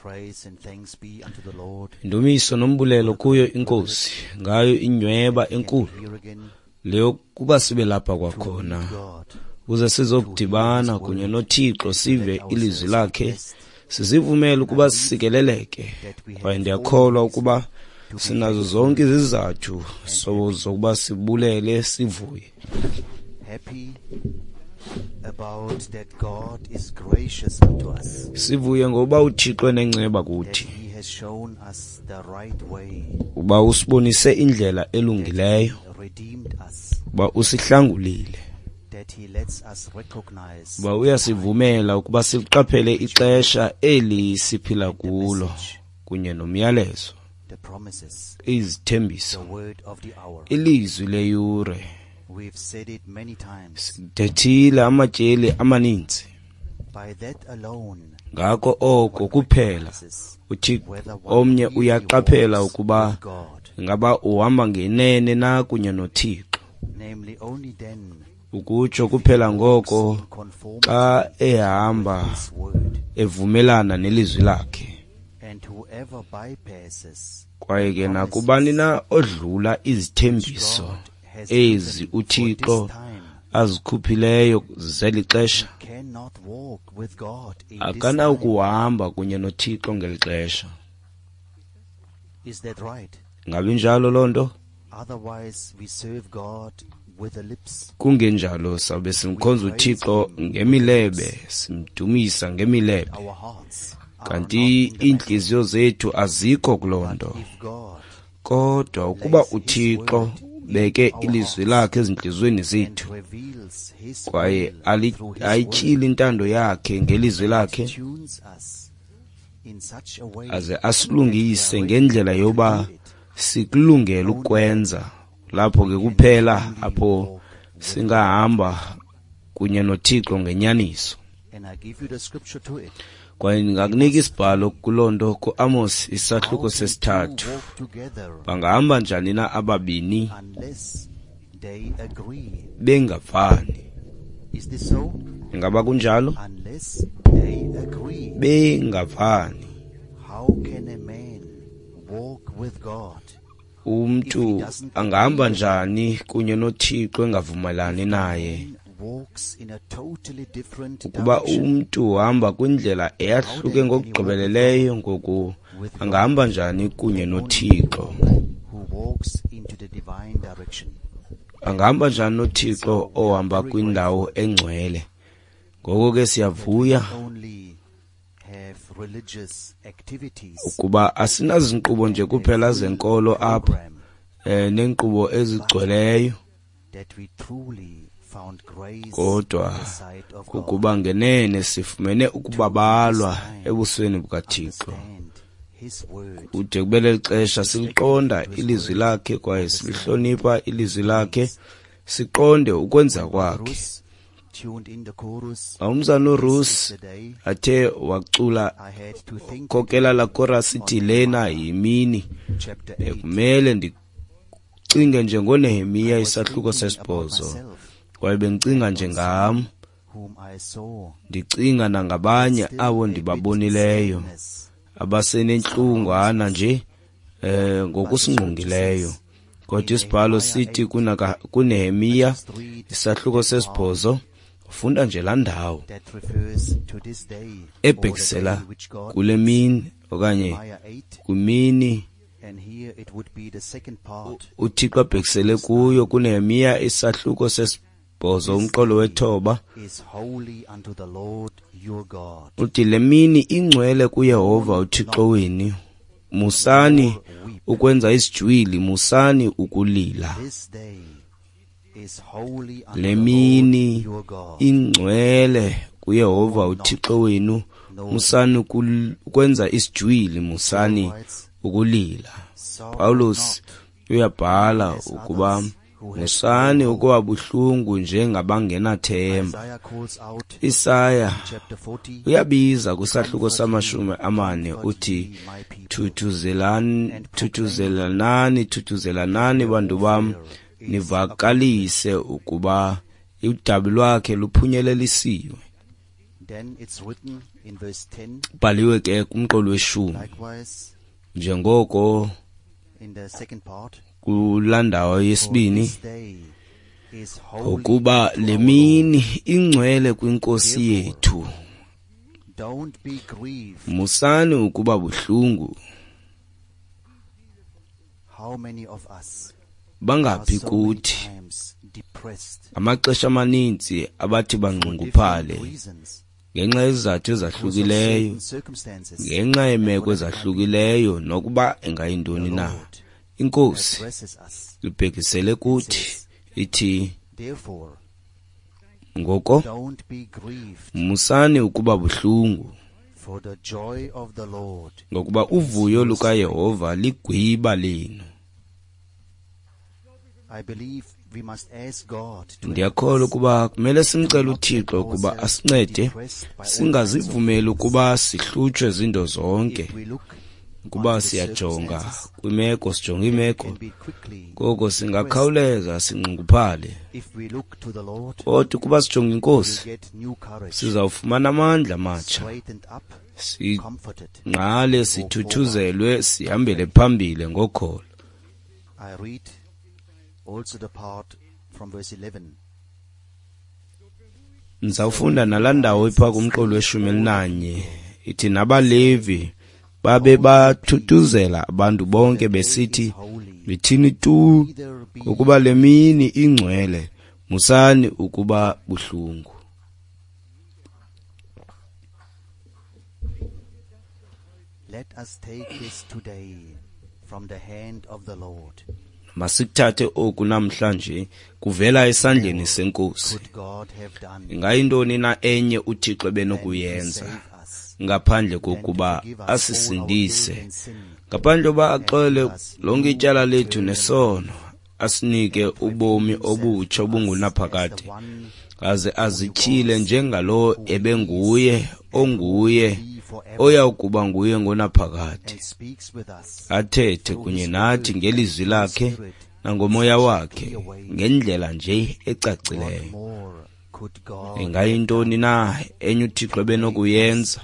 Praise and thanks be unto the Lord. Indumiso nombulelo kuyo inkosi ngayo inyweba enkulu Here again leyo kuba sibe lapha to kwakhona meet God. ukuze sizokudibana kunye noThixo sive ilizwi lakhe sizivumele ukuba sisikeleleke kwaye ndiyakholwa ukuba sinazo zonke izizathu zokuba sibulele sivuye. Happy about that God is gracious unto us. Sivuye ngoba uThixo enenceba That kuthi, he has shown us the right way. uba usibonise indlela elungileyo, Redeemed us. uba usihlangulile, That he lets us recognize uba uyasivumela ukuba siliqaphele ixesha eli siphila kulo kunye nomyalezo, the promises, izithembiso, the word of the hour. ilizwi leyure. We've said it many times. Sithethile amatyeli amaninzi. By that alone, Ngako oko kuphela recognizes uThixo whether one omnye really uyaqaphela walks ukuba with God. ingaba uhamba ngenene na kunye noThixo. Namely, only then Ukutsho kuphela ngoko in conformity xa ehamba with his word. evumelana nelizwi lakhe. And whoever bypasses Kwaye ke nakubani na odlula izithembiso God has ezi given for uThixo this time azikhuphileyo zeli xesha, cannot walk with God in this time. akanawukuhamba kunye noThixo ngeli xesha. Is that right? Ngabe injalo loo nto? Otherwise, we serve God with the lips. Kungenjalo sabe simkhonza uThixo ngemilebe, simdumisa ngemilebe, Our hearts are kanti not in the matter. iintliziyo zethu azikho kuloo nto. If God Kodwa ukuba uThixo beke ilizwi lakhe ezintliziyweni and zethu reveals his kwaye will through his word, ayityhile intando yakhe ngelizwi lakhe, tunes us in such a way aze asilungise ngendlela yoba sikulungele ukwenza, lapho ke kuphela apho singahamba kunye noThixo ngenyaniso. And I give you the scripture to it. Kwaye ndingakunika isibhalo kuloo nto kuAmos isahluko How can two sesithathu. walk together Bangahamba njani na ababini unless they agree? bengavani? Is this so? Ingaba kunjalo? Unless they agree. Bengavani. How can a man walk with God Umntu angahamba njani kunye noThixo engavumelani naye? man walks in a totally different Ukuba direction? umntu uhamba kwindlela eyahluke ngokugqibeleleyo, ngoku angahamba njani kunye noThixo? Who walks into the divine direction. Angahamba njani noThixo ohamba kwindawo engcwele? Ngoko ke siyavuya Only have religious activities ukuba asinazinkqubo nje kuphela zenkolo apha, program neenkqubo ezigcweleyo, that we truly found grace kodwa in the sight of God. kukuba ngenene sifumene ukubabalwa ebusweni bukaThixo. Understand his word. Kude kube leli xesha siliqonda ilizwi lakhe kwaye silihlonipha ilizwi lakhe, siqonde ukwenza kwakhe. Ruth tuned in the chorus. Umzana uRuth This is the day athe wacula I had to think khokela la chorus ithi lena yimini chapter 8. bekumele ndicinge nje ngoNehemiya I was isahluko thinking about sesibhozo, myself, kwaye bendicinga nje ngam, whom I saw ndicinga nangabanye still abo a bit ndibabonileyo sadness. abasenentlungwana nje ngokusingqongileyo. Kodwa isibhalo sithi kuNehemiya Just read isahluko sesibhozo, ufunda nje laa ndawo that refers to this day or the ebhekisela day which God kule mini okanye Nehemiah 8, kwimini and here it would be the second part. uThixo abhekisele kuyo kuNehemiya isahluko sesibhozo umqolo wethoba. Is holy unto the Lord your God. Uthi le mini ingcwele kuYehova uThixo wenu, musani ukwenza isijwili, musani ukulila. This day is holy unto Le the Lord mini your God. ingcwele kuYehova uThixo wenu, musani ukwenza isijwili, musani Writes, ukulila. Sorrow Paulus not, uyabhala ukuba musani ukuba buhlungu njengabangenathemba. Isaiah calls out Isaya chapter 40, uyabiza kwisahluko samashumi amane uthi my people, thuthuzelanani, thuthuzelanani bantu bam, nivakalise ukuba udabi lwakhe luphunyelelisiwe. Bhaliwe ke kumqolo weshumi, njengoko kulaa ndawo yesibini, ngokuba le mini ingcwele kwiNkosi yethu. Musani ukuba buhlungu. Bangaphi kuthi amaxesha amaninzi abathi bangxunguphale ngenxa yezizathu ezahlukileyo, ngenxa yeemeko ezahlukileyo, nokuba ingayintoni na. INkosi ibhekisele kuthi ithi, ngoko musani ukuba buhlungu, ngokuba uvuyo lukaYehova ligwiba lenu. Ndiyakholwa ukuba kumele simcele uThixo ukuba asincede singazivumeli ukuba sihlutshwe zinto zonke. Ukuba siyajonga kwimeko, sijonga imeko, koko singakhawuleza sinxunguphale. Kodwa ukuba sijonga iNkosi, sizawufumana amandla amatsha, singqale, sithuthuzelwe, sihambele phambili ngokholo. Ndizawufunda nalaa ndawo ipha kumqolo weshumi elinanye, ithi nabaLevi babe bathuthuzela abantu bonke besithi, yithini tu, ngokuba le mini ingcwele, musani ukuba buhlungu. Let us take this today from the hand of the Lord. Masikuthathe oku namhlanje kuvela esandleni seNkosi. Ingayintoni na enye uThixo ebenokuyenza ngaphandle kokuba asisindise, ngaphandle kokuba axole lonke ityala lethu nesono, asinike ubomi obutsha obungunaphakade, aze azityhile njengalowo ebenguye, onguye, oya kuba nguye ngonaphakade, athethe kunye nathi ngelizwi lakhe nangomoya wakhe ngendlela nje ecacileyo. Ingayintoni na enye uThixo ebenokuyenza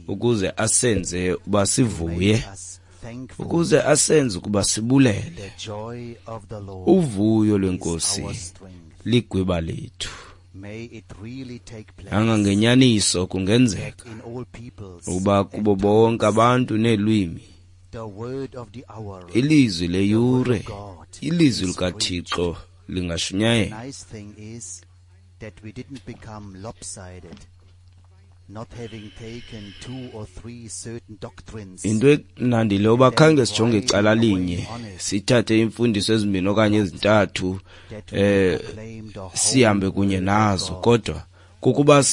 ukuze asenze uba sivuye, ukuze asenze ukuba sibulele? Uvuyo lweNkosi ligwiba lethu. Angangenyaniso kungenzeka ukuba kubo bonke abantu neelwimi ilizwi leyure, ilizwi likaThixo lingashunyayelwa. Into emnandi le uba khange sijonge icala linye, sithathe iimfundiso ezimbini okanye ezintathu, sihambe kunye nazo, kodwa kukuba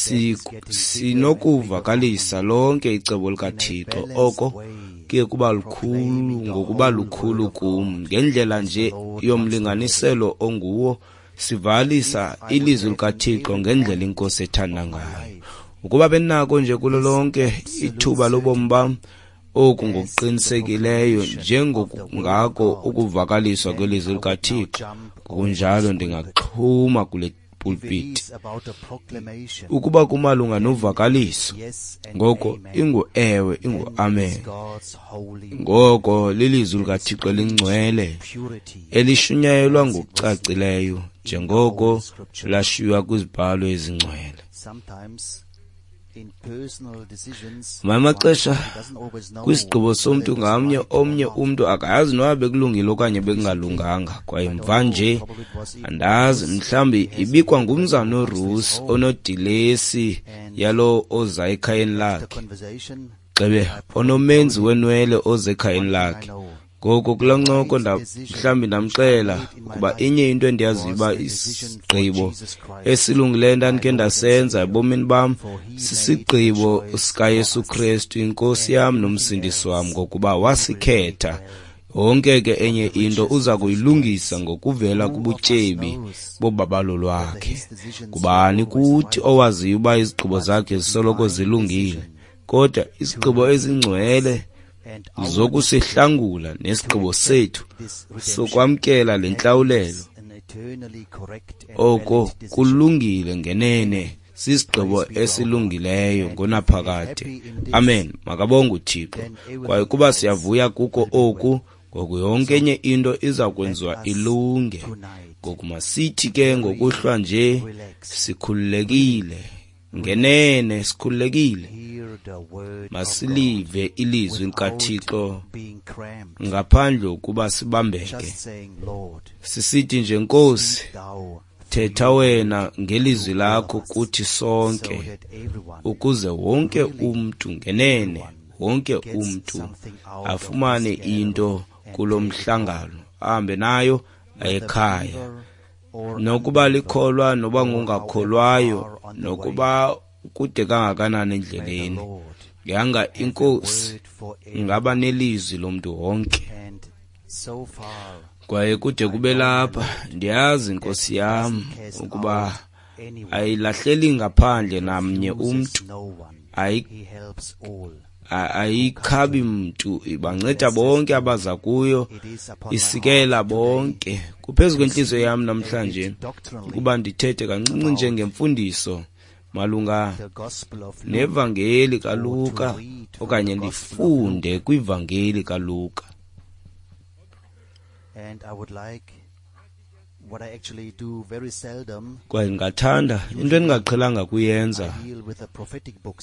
sinokuvakalisa lonke icebo likaThixo. Oko kuye kuba lukhulu ngokuba lukhulu kum, ngendlela nje yomlinganiselo onguwo, sivalisa ilizwi likaThixo ngendlela iNkosi ethanda ngayo. Ukuba benako nje kulo lonke ithuba lobomi bam, oku ngokuqinisekileyo njengokungako ukuvakaliswa kwelizwi likaThixo, ngokunjalo ndingaxhuma kule pulpit. Ukuba kumalunga novakaliso, ngoko ingu-ewe, ingu-amen. Ngoko lilizwi likaThixo elingcwele elishunyayelwa ngokucacileyo njengoko lashiywa kwizibhalo ezingcwele. Ngamanye amaxesha kwisigqibo somntu ngamnye, omnye umntu akayazi noba bekulungile okanye bekungalunganga. Kwaye mva nje andazi, mhlawumbi ibikwa ngumzana uRusi onodilesi yalowo oza ekhayeni lakhe, gxebe onomenzi wenwele oza ekhayeni lakhe. Ngoko kulaa ncoko mhlawumbi ndamxela ukuba inye into endiyaziyo uba isigqibo esilungileyo ndandikhe ndasenza ebomini bam sisigqibo sikaYesu Kristu, iNkosi yam noMsindisi wam, ngokuba wasikhetha. Yonke ke enye into uza kuyilungisa ngokuvela kubutyebi bobabalo lwakhe. Ngubani kuthi owaziyo uba izigqibo zakhe zisoloko zilungile? Kodwa izigqibo ezingcwele zokusihlangula nesigqibo sethu sokwamkela le ntlawulelo, oko kulungile ngenene, Sisigqibo esilungileyo ngonaphakade. Amen. Makabonge uThixo. Kwaye kuba siyavuya kuko oku, ngoku yonke enye into iza kwenziwa ilunge. Ngoku masithi ke ngokuhlwa nje sikhululekile, ngenene sikhululekile, masilive ilizwi likaThixo ngaphandle ukuba sibambeke, sisithi nje, Nkosi, thetha wena ngelizwi lakho kuthi sonke, ukuze wonke umntu, ngenene wonke umntu afumane into kulo mhlangano, ahambe nayo ekhaya, nokuba likholwa noba ngongakholwayo, nokuba kude kangakanani endleleni. Yanga iNkosi ingaba nelizwi lomntu wonke. Kwaye kude kube lapha, ndiyazi Nkosi yam ukuba ayilahleli ngaphandle namnye umntu, ayikhabi mntu, ibanceda bonke abaza kuyo, isikela bonke. Kuphezu kwentliziyo yam namhlanje ukuba ndithethe kancinci nje ngemfundiso malunga nevangeli kaLuka, okanye ndifunde kwivangeli kaLuka. Kwaye ndingathanda into endingaqhelanga kuyenza,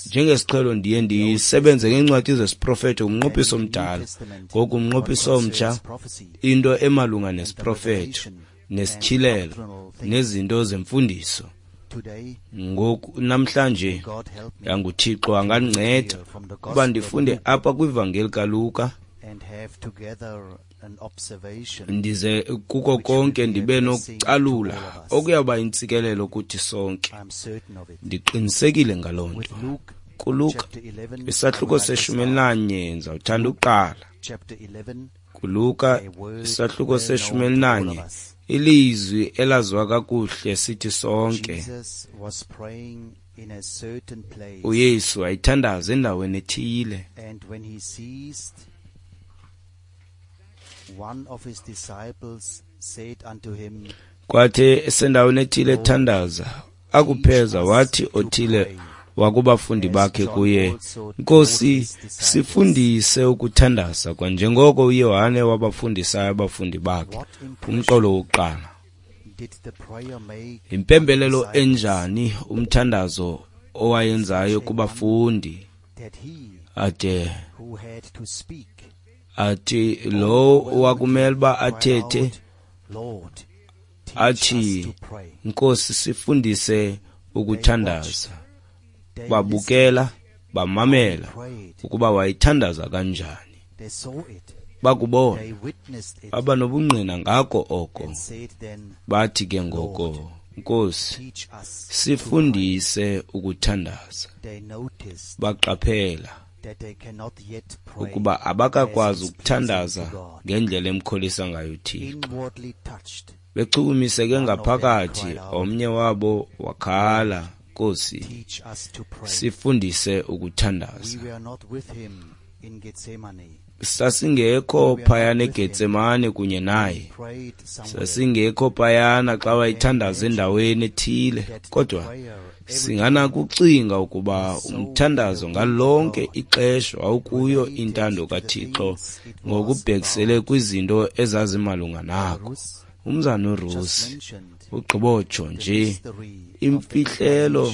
njengesiqhelo ndiye ndisebenze ngeencwadi zesiprofeto kumnqophiso omdala, ngoku umnqophiso omtsha, into emalunga nesiprofeto nesityhilelo nezinto zemfundiso. Ngoku namhlanje yanguThixo angandinceda ukuba ndifunde apha kwivangeli kaLuka, ndize kuko konke ndibe nokucalula okuyawuba intsikelelo kuthi sonke. Ndiqinisekile ngaloo nto. KuLuka isahluko se-11, ndizawuthanda ukuqala. KuLuka isahluko se-11, ilizwi elaziwa kakuhle sithi sonke. uYesu wayethandaza endaweni ethile. Kwathi esendaweni ethile ethandaza, akupheza wathi othile wakubafundi bakhe kuye, Nkosi, sifundise ukuthandaza, kwanjengoko uYohane wabafundisayo abafundi bakhe. Umqolo wokuqala. Impembelelo enjani umthandazo owayenzayo kubafundi, ade athi lo wakumele uba athethe athi, Nkosi, sifundise ukuthandaza. Babukela, bamamela ukuba wayithandaza kanjani. Bakubona, baba nobungqina ngako oko. Bathi ke ngoko, Nkosi, sifundise ukuthandaza. Baqaphela ukuba abakakwazi ukuthandaza ngendlela emkholisa ngayo uThixo. Bechukumiseke ngaphakathi, omnye wabo wakhala, Nkosi, sifundise ukuthandaza. Sasingekho phayana eGetsemane kunye naye, sasingekho phayana xa wayethandaza endaweni ethile, kodwa singanakucinga ukuba umthandazo ngalonke ixesha wawukuyo intando kaThixo ngokubhekisele kwizinto ezazimalunga nako. Umzana uRusi ugqibotsho nje imfihlelo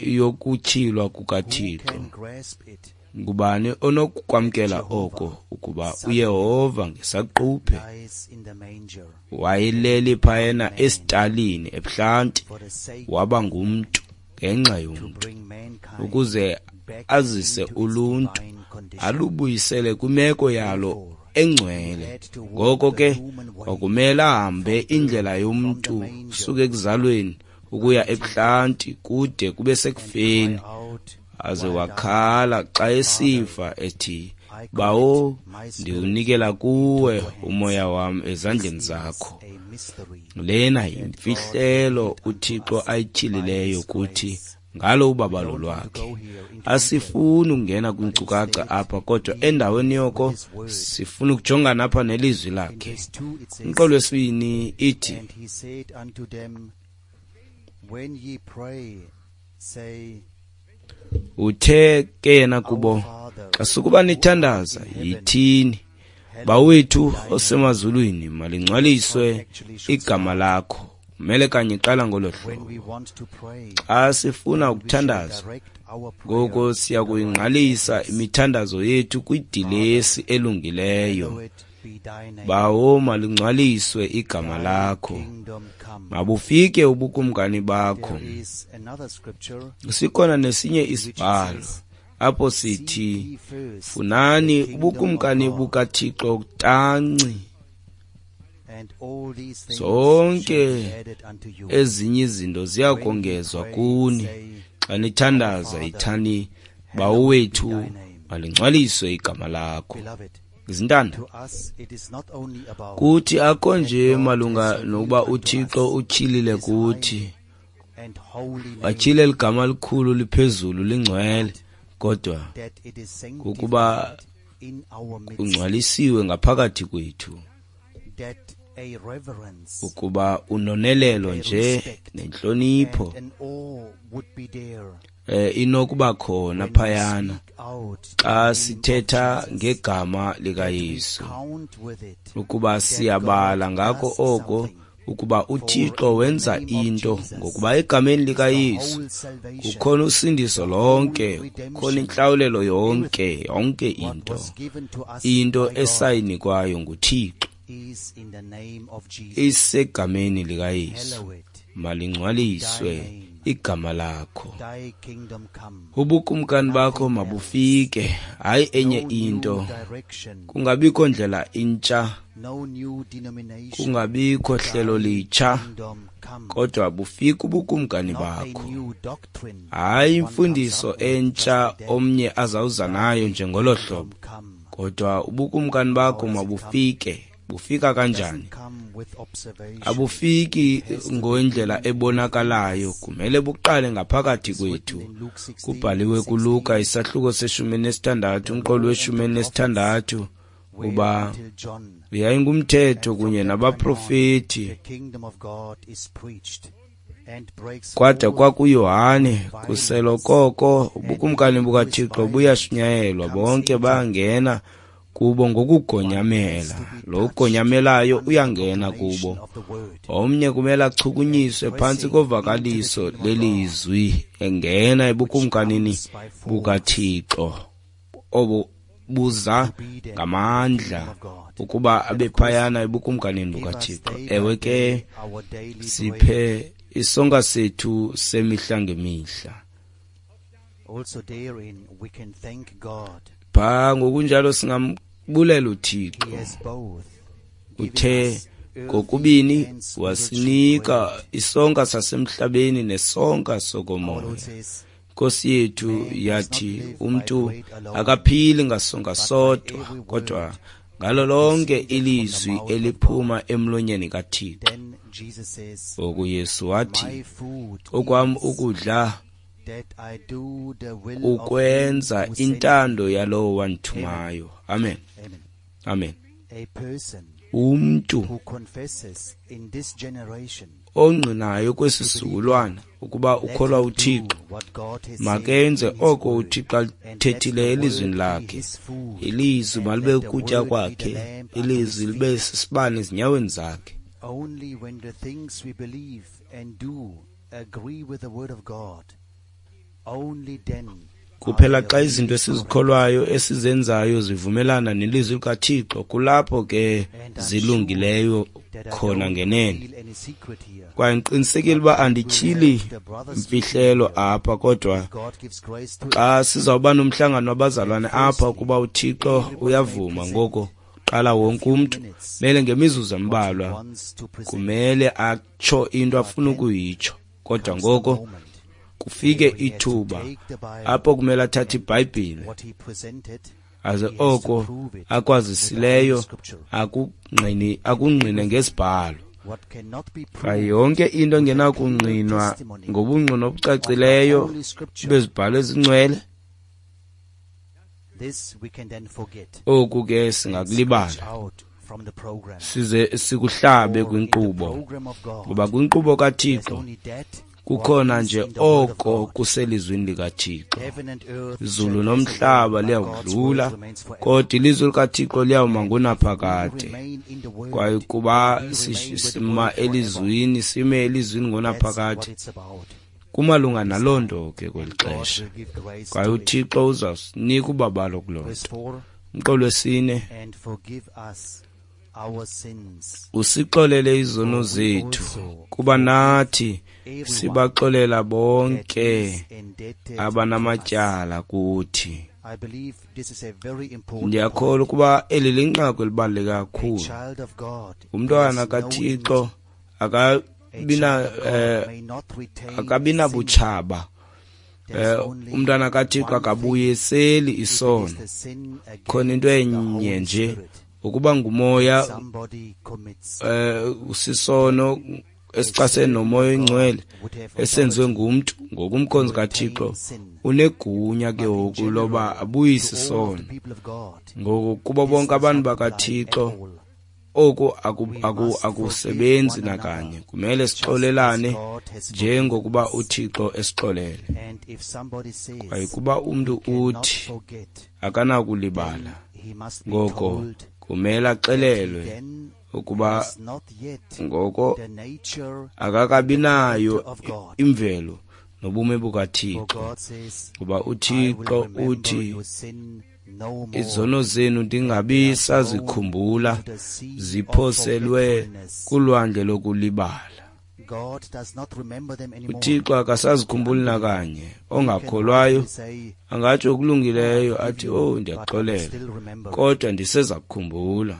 yokutyhilwa kukaThixo. Ngubani onokukwamkela oko, ukuba uYehova ngesaquphe wayeleli phayana esitalini ebuhlanti, waba ngumntu ngenxa yomntu, ukuze azise uluntu alubuyisele kwimeko yalo engcwele. Ngoko ke kwakumele ahambe indlela yomntu suka ekuzalweni ukuya ebuhlanti kude kube sekufeni, aze wakhala xa esifa ethi, Bawo, ndiwunikela kuwe umoya wam ezandleni zakho. Lena yimfihlelo uThixo ayityhilileyo kuthi ngalo ubabalo lwakhe. Asifuni ukungena kwinkcukacha apha, kodwa endaweni yoko sifuna ukujongana apha nelizwi lakhe. Umqolo wesibini ithi, Uthe ke yena kubo, xa sukuba nithandaza, yithini, Bawethu osemazulwini, malingcwaliswe igama lakho. Kumele kanye iqala ngolo hlobo. Xa sifuna ukuthandaza, ngoko siya kuyingqalisa imithandazo yethu kwidilesi elungileyo. Bawo, malingcwaliswe igama lakho. Mabufike ubukumkani bakho. Sikhona nesinye isibhalo apho sithi, funani ubukumkani bukaThixo tanci, zonke ezinye izinto ziya kongezwa kuni. Xa nithandaza, yithani, Bawo wethu, malingcwaliswe igama lakho. Izintanda, kuthi akho nje malunga nokuba uThixo utyhilile kuthi, watyhile ligama likhulu liphezulu lingcwele, kodwa kukuba kungcwalisiwe ngaphakathi kwethu, ukuba unonelelo nje nentlonipho inokuba khona phayana xa sithetha ngegama likaYesu, ukuba siyabala ngako oko ukuba uThixo wenza into, ngokuba egameni likaYesu kukhona usindiso lonke, kukhona intlawulelo yonke, yonke into esayinikwayo nguThixo isegameni likaYesu. Malingcwaliswe igama lakho, ubukumkani bakho mabufike, hayi enye into, kungabikho ndlela intsha, kungabikho hlelo litsha, kodwa bufike ubukumkani bakho. Hayi imfundiso entsha omnye azawuza nayo njengolo hlobo, kodwa ubukumkani bakho mabufike. Bufika kanjani? Abufiki ngendlela ebonakalayo, kumele buqale ngaphakathi kwethu. Kubhaliwe kuLuka isahluko se-16, umqolo we-16, uba yayingumthetho kunye nabaprofeti kwada kwakuYohane, kuselokoko ubukumkani bukaThixo buyashunyayelwa, bonke bayangena kubo ngokugonyamela. Lo ugonyamelayo uyangena kubo. Omnye kumele achukunyiswe phantsi kovakaliso lelizwi, engena ebukumkanini bukaThixo obo buza ngamandla ukuba abe phayana ebukumkanini bukaThixo. Ewe ke, siphe isonka sethu semihla ngemihla. Pha ngokunjalo singambulela uThixo. Uthe kokubini wasinika isonka sasemhlabeni nesonka sokomoya. Nkosi yethu yathi umntu akaphili ngasonka sodwa, kodwa ngalo lonke ilizwi eliphuma emlonyeni kaThixo. Ngoku Yesu wathi, okwam ukudla ukwenza intando yalowo wandithumayo. Amen. Amen. Umntu ongqinayo kwesi sizukulwana ukuba ukholwa uThixo, makenze oko uThixo alithethile elizwini lakhe. Ilizwi malibe ukutya kwakhe, ilizwi libe sisibane ezinyaweni zakhe. Only when the things we believe and do agree with the word of God, only then. Kuphela xa izinto esizikholwayo esizenzayo zivumelana nelizwi likaThixo, kulapho ke zilungileyo khona ngenene. Kwaye ndiqinisekile uba andityhili mfihlelo apha, kodwa xa sizawuba nomhlangano wabazalwane apha, ukuba uThixo uyavuma, ngoko qala wonke umntu mele ngemizuzu embalwa kumele atsho into afuna ukuyitsho, kodwa ngoko kufike ithuba apho kumele athathe iBhayibhile aze oko akwazisileyo akungqine ngesibhalo. Kwaye yonke into engenakungqinwa ngobungqina obucacileyo bezibhalo ezingcwele, oku ke singakulibala size sikuhlabe kwinkqubo, ngoba kwinkqubo kaThixo Kukhona nje oko kuselizwini likaThixo. Izulu nomhlaba liyawudlula, kodwa ilizwi likaThixo liyawuma ngonaphakade. Kwaye kuba sima elizwini, sime elizwini ngonaphakade, kumalunga naloo nto ke kweli xesha. Kwaye uThixo uzawusinika ubabalo kuloo nto. Umqolo wesine, usixolele izono zethu, kuba nathi sibaxolela bonke abanamatyala kuthi. Ndiyakholwa ukuba eli linqaku elibaluleke kakhulu. Umntwana kaThixo akabinabutshaba. Umntwana kaThixo akabuyiseli isono. Khona into enye nje, ukuba ngumoya usisono esixasene nomoya oyingcwele esenziwe ngumntu ngokumkhonzi kaThixo, unegunya ke ngoku loba abuyise isono. Ngoku kubo bonke abantu bakaThixo oku akusebenzi nakanye. Kumele sixolelane njengokuba uThixo esixolele. Kwaye kuba umntu uthi akanakulibala, ngoko kumele axelelwe ukuba ngoko akakabi nayo imvelo nobume bukaThixo. Kuba uThixo uthi izono zenu ndingabi sazikhumbula, ziphoselwe kulwandle lokulibala. uThixo akasazikhumbuli nakanye. Ongakholwayo angatsho okulungileyo athi, oh, ndiyaxolela, kodwa ndiseza kukhumbula.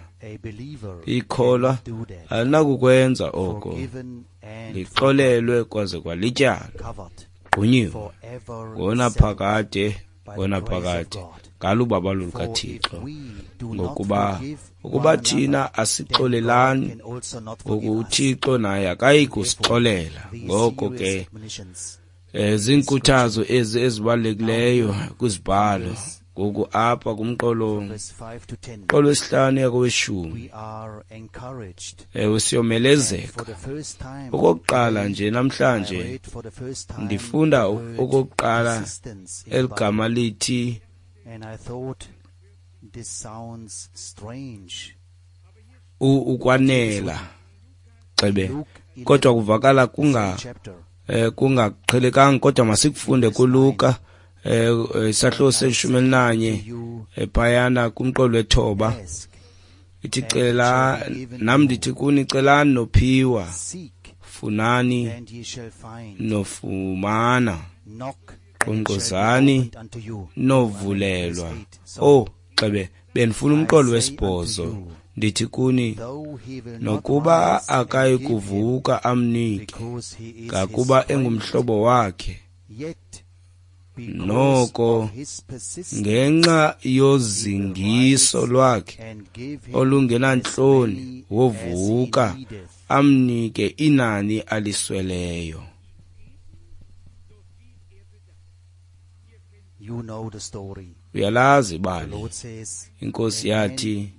Ikholwa alinakukwenza oko, lixolelwe kwaze kwalityalwa, gqunyiwe ngonaphakade, ngonaphakade ngalubabalo lukaThixo. Ngokuba ukuba thina asixolelani, ngoku uThixo naye akayi kusixolela. Ngoko ke ziinkuthazo ezi ezibalulekileyo kwizibhalo. Ngoku apha kumqolo wesihlanu yakoweshumi, ewe, siyomelezeka. Okokuqala nje namhlanje ndifunda okokuqala eligama lithi ukwanela, xebe, kodwa kuvakala kungaqhelekanga, kodwa masikufunde kuLuka isahluko se-11 phayana kumqolo wethoba. Ithi, cela nam ndithi kuni, celani nophiwa, funani nofumana, nkqonkqozani novulelwa. Oh, xebe, bendifuna umqolo wesibhozo. Ndithi kuni, nokuba akayi kuvuka amnike, ngakuba engumhlobo wakhe, noko ngenxa yozingiso lwakhe olungenantloni wovuka amnike inani alisweleyo. Uyalazi ibali. Inkosi yathi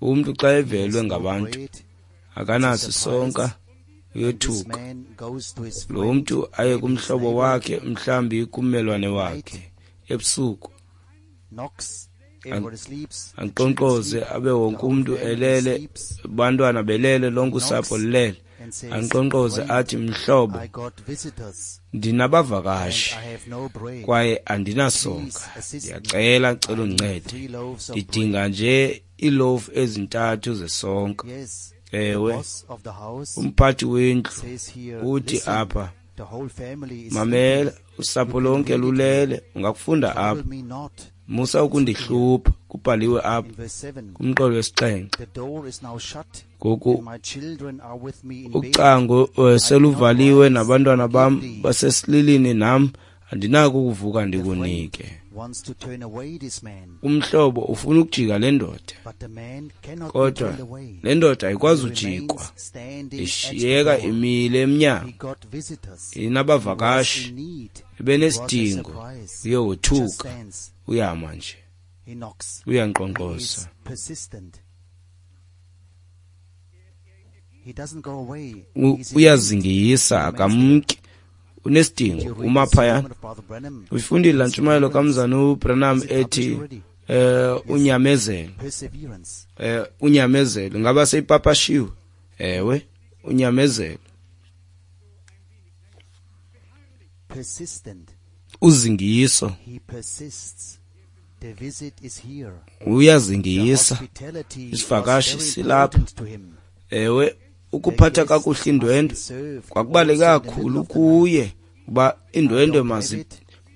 umntu xa evelwe ngabantu akanaso isonka, uyothuka. Lo mntu aye kumhlobo wakhe, mhlawumbi kummelwane wakhe, ebusuku ankqonkqoze, abe wonke umntu elele, abantwana belele, lonke usapho lulele. Ankqonkqoze athi, mhlobo, ndinabavakashi kwaye andinasonka, ndiyacela, cela undincede, ndidinga nje iilofu ezintathu zesonka. Ewe, umphathi wendlu uthi apha, mamela, usapho lonke lulele, ungakufunda apha, musa ukundihlupha, kubhaliwe apha kumqolo wesixhenxe. Ngoku ucango seluvaliwe nabantwana bam basesililini nam, andinako ukuvuka ndikunike. Umhlobo ufuna ukujika le ndoda, kodwa le ndoda ayikwazi ujikwa, ishiyeka imile emnyango, inabavakashi, ebenesidingo, uye wothuka, uyama nje, uyankqonkqoza. Uyazingisa, akamki, unesidingo, uma phayana. Uyifundile laa ntshumayelo kamzana uBranham ethi unyamezelo. Unyamezelo ingaba seyipapashiwe? Ewe, unyamezelo. Uzingiso. Uyazingisa. Isivakashi silapha. Ewe, ukuphatha kakuhle indwendwe kwakubaluleke kakhulu kuye, uba indwendwe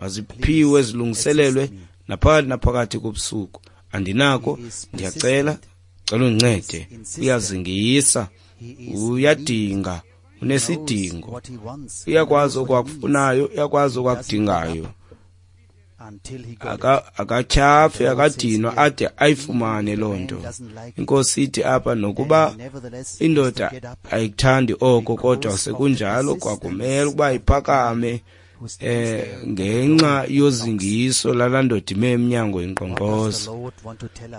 maziphiwe zilungiselelwe naphakathi naphakathi kobusuku. Andinako, ndiyacela, cela undincede. Uyazingisa, uyadinga, unesidingo, uyakwazi okwakufunayo, uyakwazi okwakudingayo. Akatyhafi, akadinwa ade ayifumane loo nto. Inkosi ithi apha, nokuba indoda ayikuthandi oko, kodwa sekunjalo kwakumele ukuba iphakame ngenxa yozingiso lalaa ndoda ime emnyango inkqonkqoza.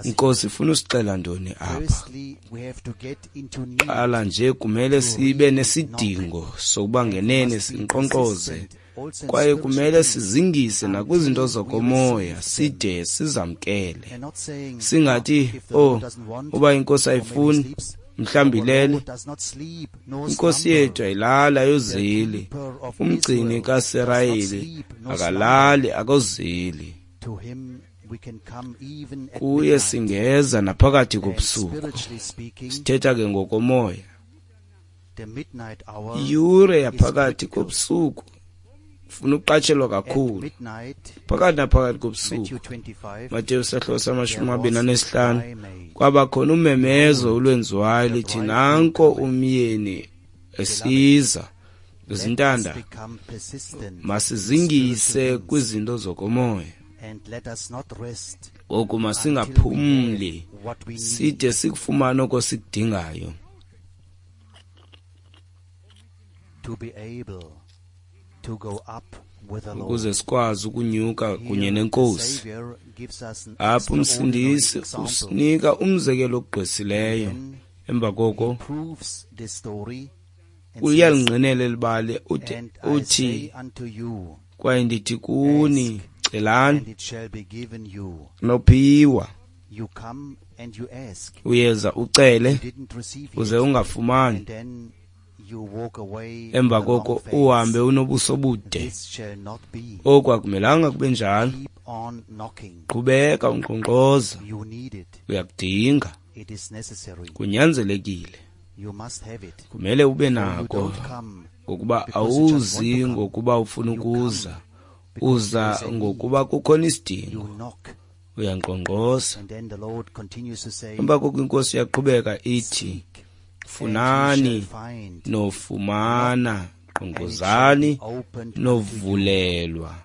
Inkosi ifuna usixela ntoni apha? Qala nje kumele sibe nesidingo sokuba ngenene sinkqonkqoze, kwaye kumele sizingise nakwizinto zokomoya side sizamkele. Singathi, oh, uba inkosi ayifuni, mhlawumbi ilele. Inkosi yethu ayilali, ayozeli. Umgcini kaSirayeli akalali, akozeli. Kuye singeza naphakathi kobusuku. Sithetha ke ngokomoya. Iyure yaphakathi kobusuku funa uqatshelwa kakhulu. Phakathi naphakathi kobusuku, Mateyu sahluko sama-25, kwaba khona umemezo olwenziwayo lithi, nanko umyeni esiza. Izintanda, masizingise kwizinto zokomoya. Ngoku masingaphumli side sikufumane oko sikudingayo. Ukuze sikwazi ukunyuka kunye nenkosi. Apha umsindisi usinika umzekelo ogqwesileyo. Emva koko uyalingqinela eli bali, uthi, kwaye ndithi kuni, celani nophiwa. Uyeza ucele uze ungafumani, emva koko uhambe unobuso bude. Oku akumelanga kube njalo. Qhubeka unkqonkqoza, uyakudinga, kunyanzelekile, kumele ube nako, ngokuba awuzi ngokuba ufuna ukuza, uza ngokuba kukhona isidingo. Uyankqonkqoza. Emva koko inkosi iyaqhubeka ithi, funani nofumana, nkqonkqozani novulelwa.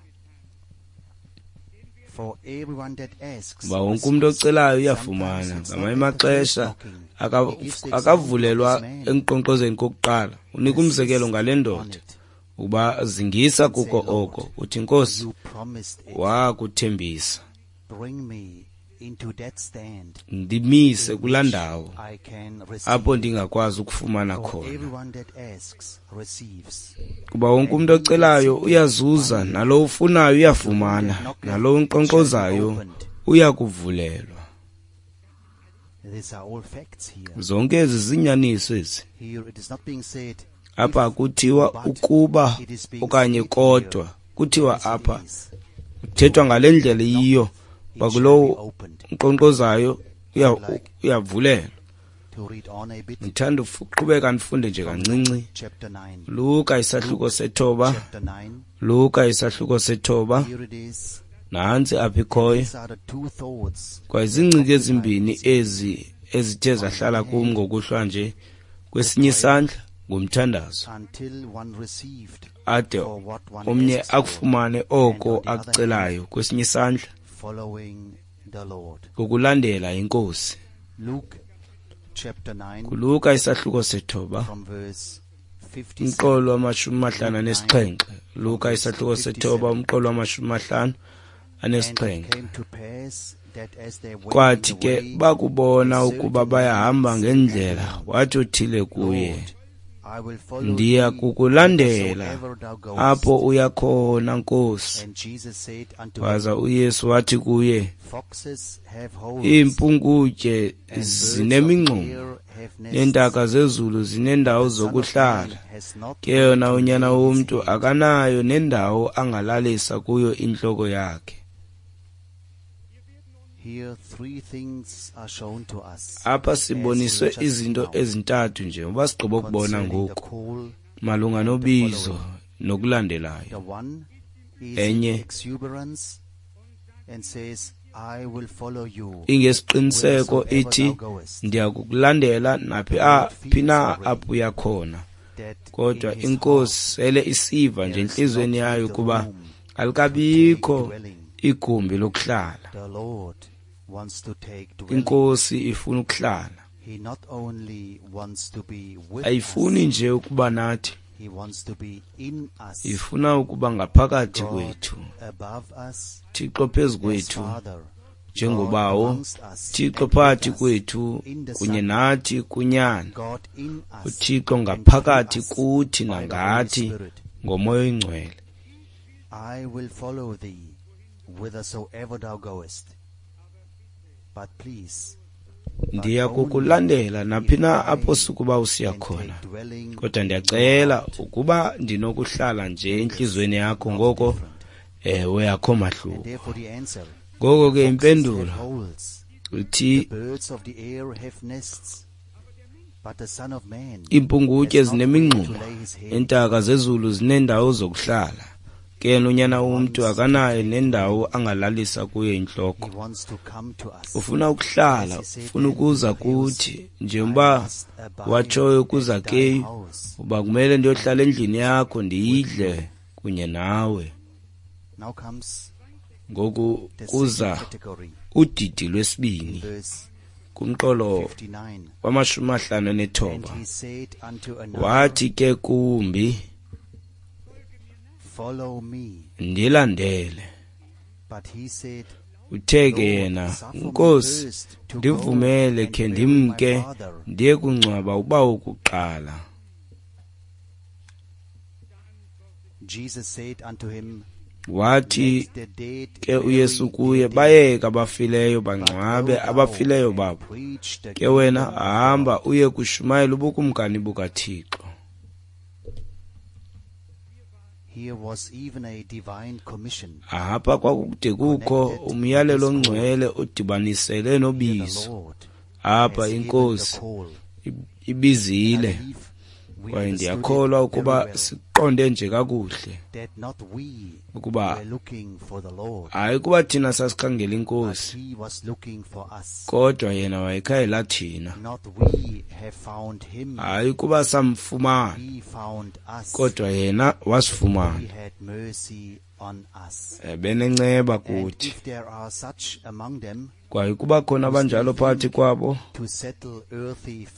Kuba wonke umntu ocelayo uyafumana. Ngamanye amaxesha akavulelwa enkqonkqozeni kokuqala. Unika umzekelo ngale ndoda ukuba zingisa kuko oko. Uthi, Nkosi, wakuthembisa, ndimise kulaa ndawo apho ndingakwazi ukufumana khona. Kuba wonke umntu ocelayo uyazuza, nalowo ufunayo uyafumana, nalowo unkqonkqozayo uyakuvulelwa. Zonke ezi zinyaniso ezi. Apha kuthiwa ukuba okanye kodwa, kuthiwa apha kuthethwa ngale ndlela iyiyo, kulowo unkqonkqozayo uyavulelwa. Ndithanda uqhubeka ndifunde nje kancinci. Luka isahluko 9, Luka isahluko 9, nantsi apha ikhoyo. Kwaye ziingcinga ezimbini ezi ezithe zahlala kum ngokuhlwa nje. Kwesinye isandla ngumthandazo, ade omnye akufumane oko akucelayo. Kwesinye isandla ngokulandela inkosi. Kuluka isahluko 9, umqolo wama-57. Luka isahluko 9, umqolo wama-57. anesixhenxe. Kwathi ke bakubona ukuba bayahamba ngendlela, wathi othile kuye, ndiya kukulandela apho uya khona, Nkosi. Waza uYesu wathi kuye, iimpungutye zinemingxuma, neentaka zezulu zinendawo zokuhlala, ke yona uNyana woMntu akanayo nendawo angalalisa kuyo intloko yakhe. Apha siboniswe izinto ezintathu nje ngoba sigqiba ukubona ngoku malunga nobizo nokulandelayo. Enye ingesiqiniseko ithi, ndiyakukulandela naphi phi na apho uya khona. Kodwa iNkosi sele isiva nje entliziyweni yayo ukuba alikabikho igumbi lokuhlala. INkosi ifuna ukuhlala. Ayifuni nje ukuba nathi, ifuna ukuba ngaphakathi kwethu. Thixo phezu kwethu njengobawo, Thixo phakathi kwethu kunye nathi kuNyana, uThixo ngaphakathi kuthi nangathi ngoMoya oyiNgcwele. I will follow thee whithersoever thou goest. But please, ndiya kukulandela naphi na apho sukuba usiya khona, kodwa ndiyacela ukuba ndinokuhlala nje entliziyweni yakho. Ngoko ewe, akho mahluko. Ngoko ke impendulo ithi, iimpungutye zinemingxuma, iintaka zezulu zinendawo zokuhlala, ke yena uNyana woMntu akanayo nendawo angalalisa kuyo intloko. Ufuna ukuhlala, ufuna ukuza kuthi, njengoba watshoyo kuZakeyu, uba kumele ndiyohlala endlini yakho ndiyidle kunye nawe. Ngoku kuza udidi lwesibini kumqolo wama-59. Wathi ke kumbi, ndilandele. Uthe ke yena, Nkosi, ndivumele khe ndimke ndiye kungcwaba ubawo kuqala. Wathi ke uYesu kuye, bayeke abafileyo bangcwabe abafileyo babo, ke wena hamba uye kushumayela ubukumkani bukaThixo. Apha kwakude kukho umyalelo ongcwele odibanisele nobizo. Apha iNkosi ibizile, kwaye ndiyakholwa ukuba siqonde nje kakuhle ukuba hayi kuba thina sasikhangela iNkosi, kodwa yena wayekhangela thina. Hayi kuba samfumana, kodwa yena wasifumana. Ebenenceba kuthi. Kwaye kuba khona abanjalo phakathi kwabo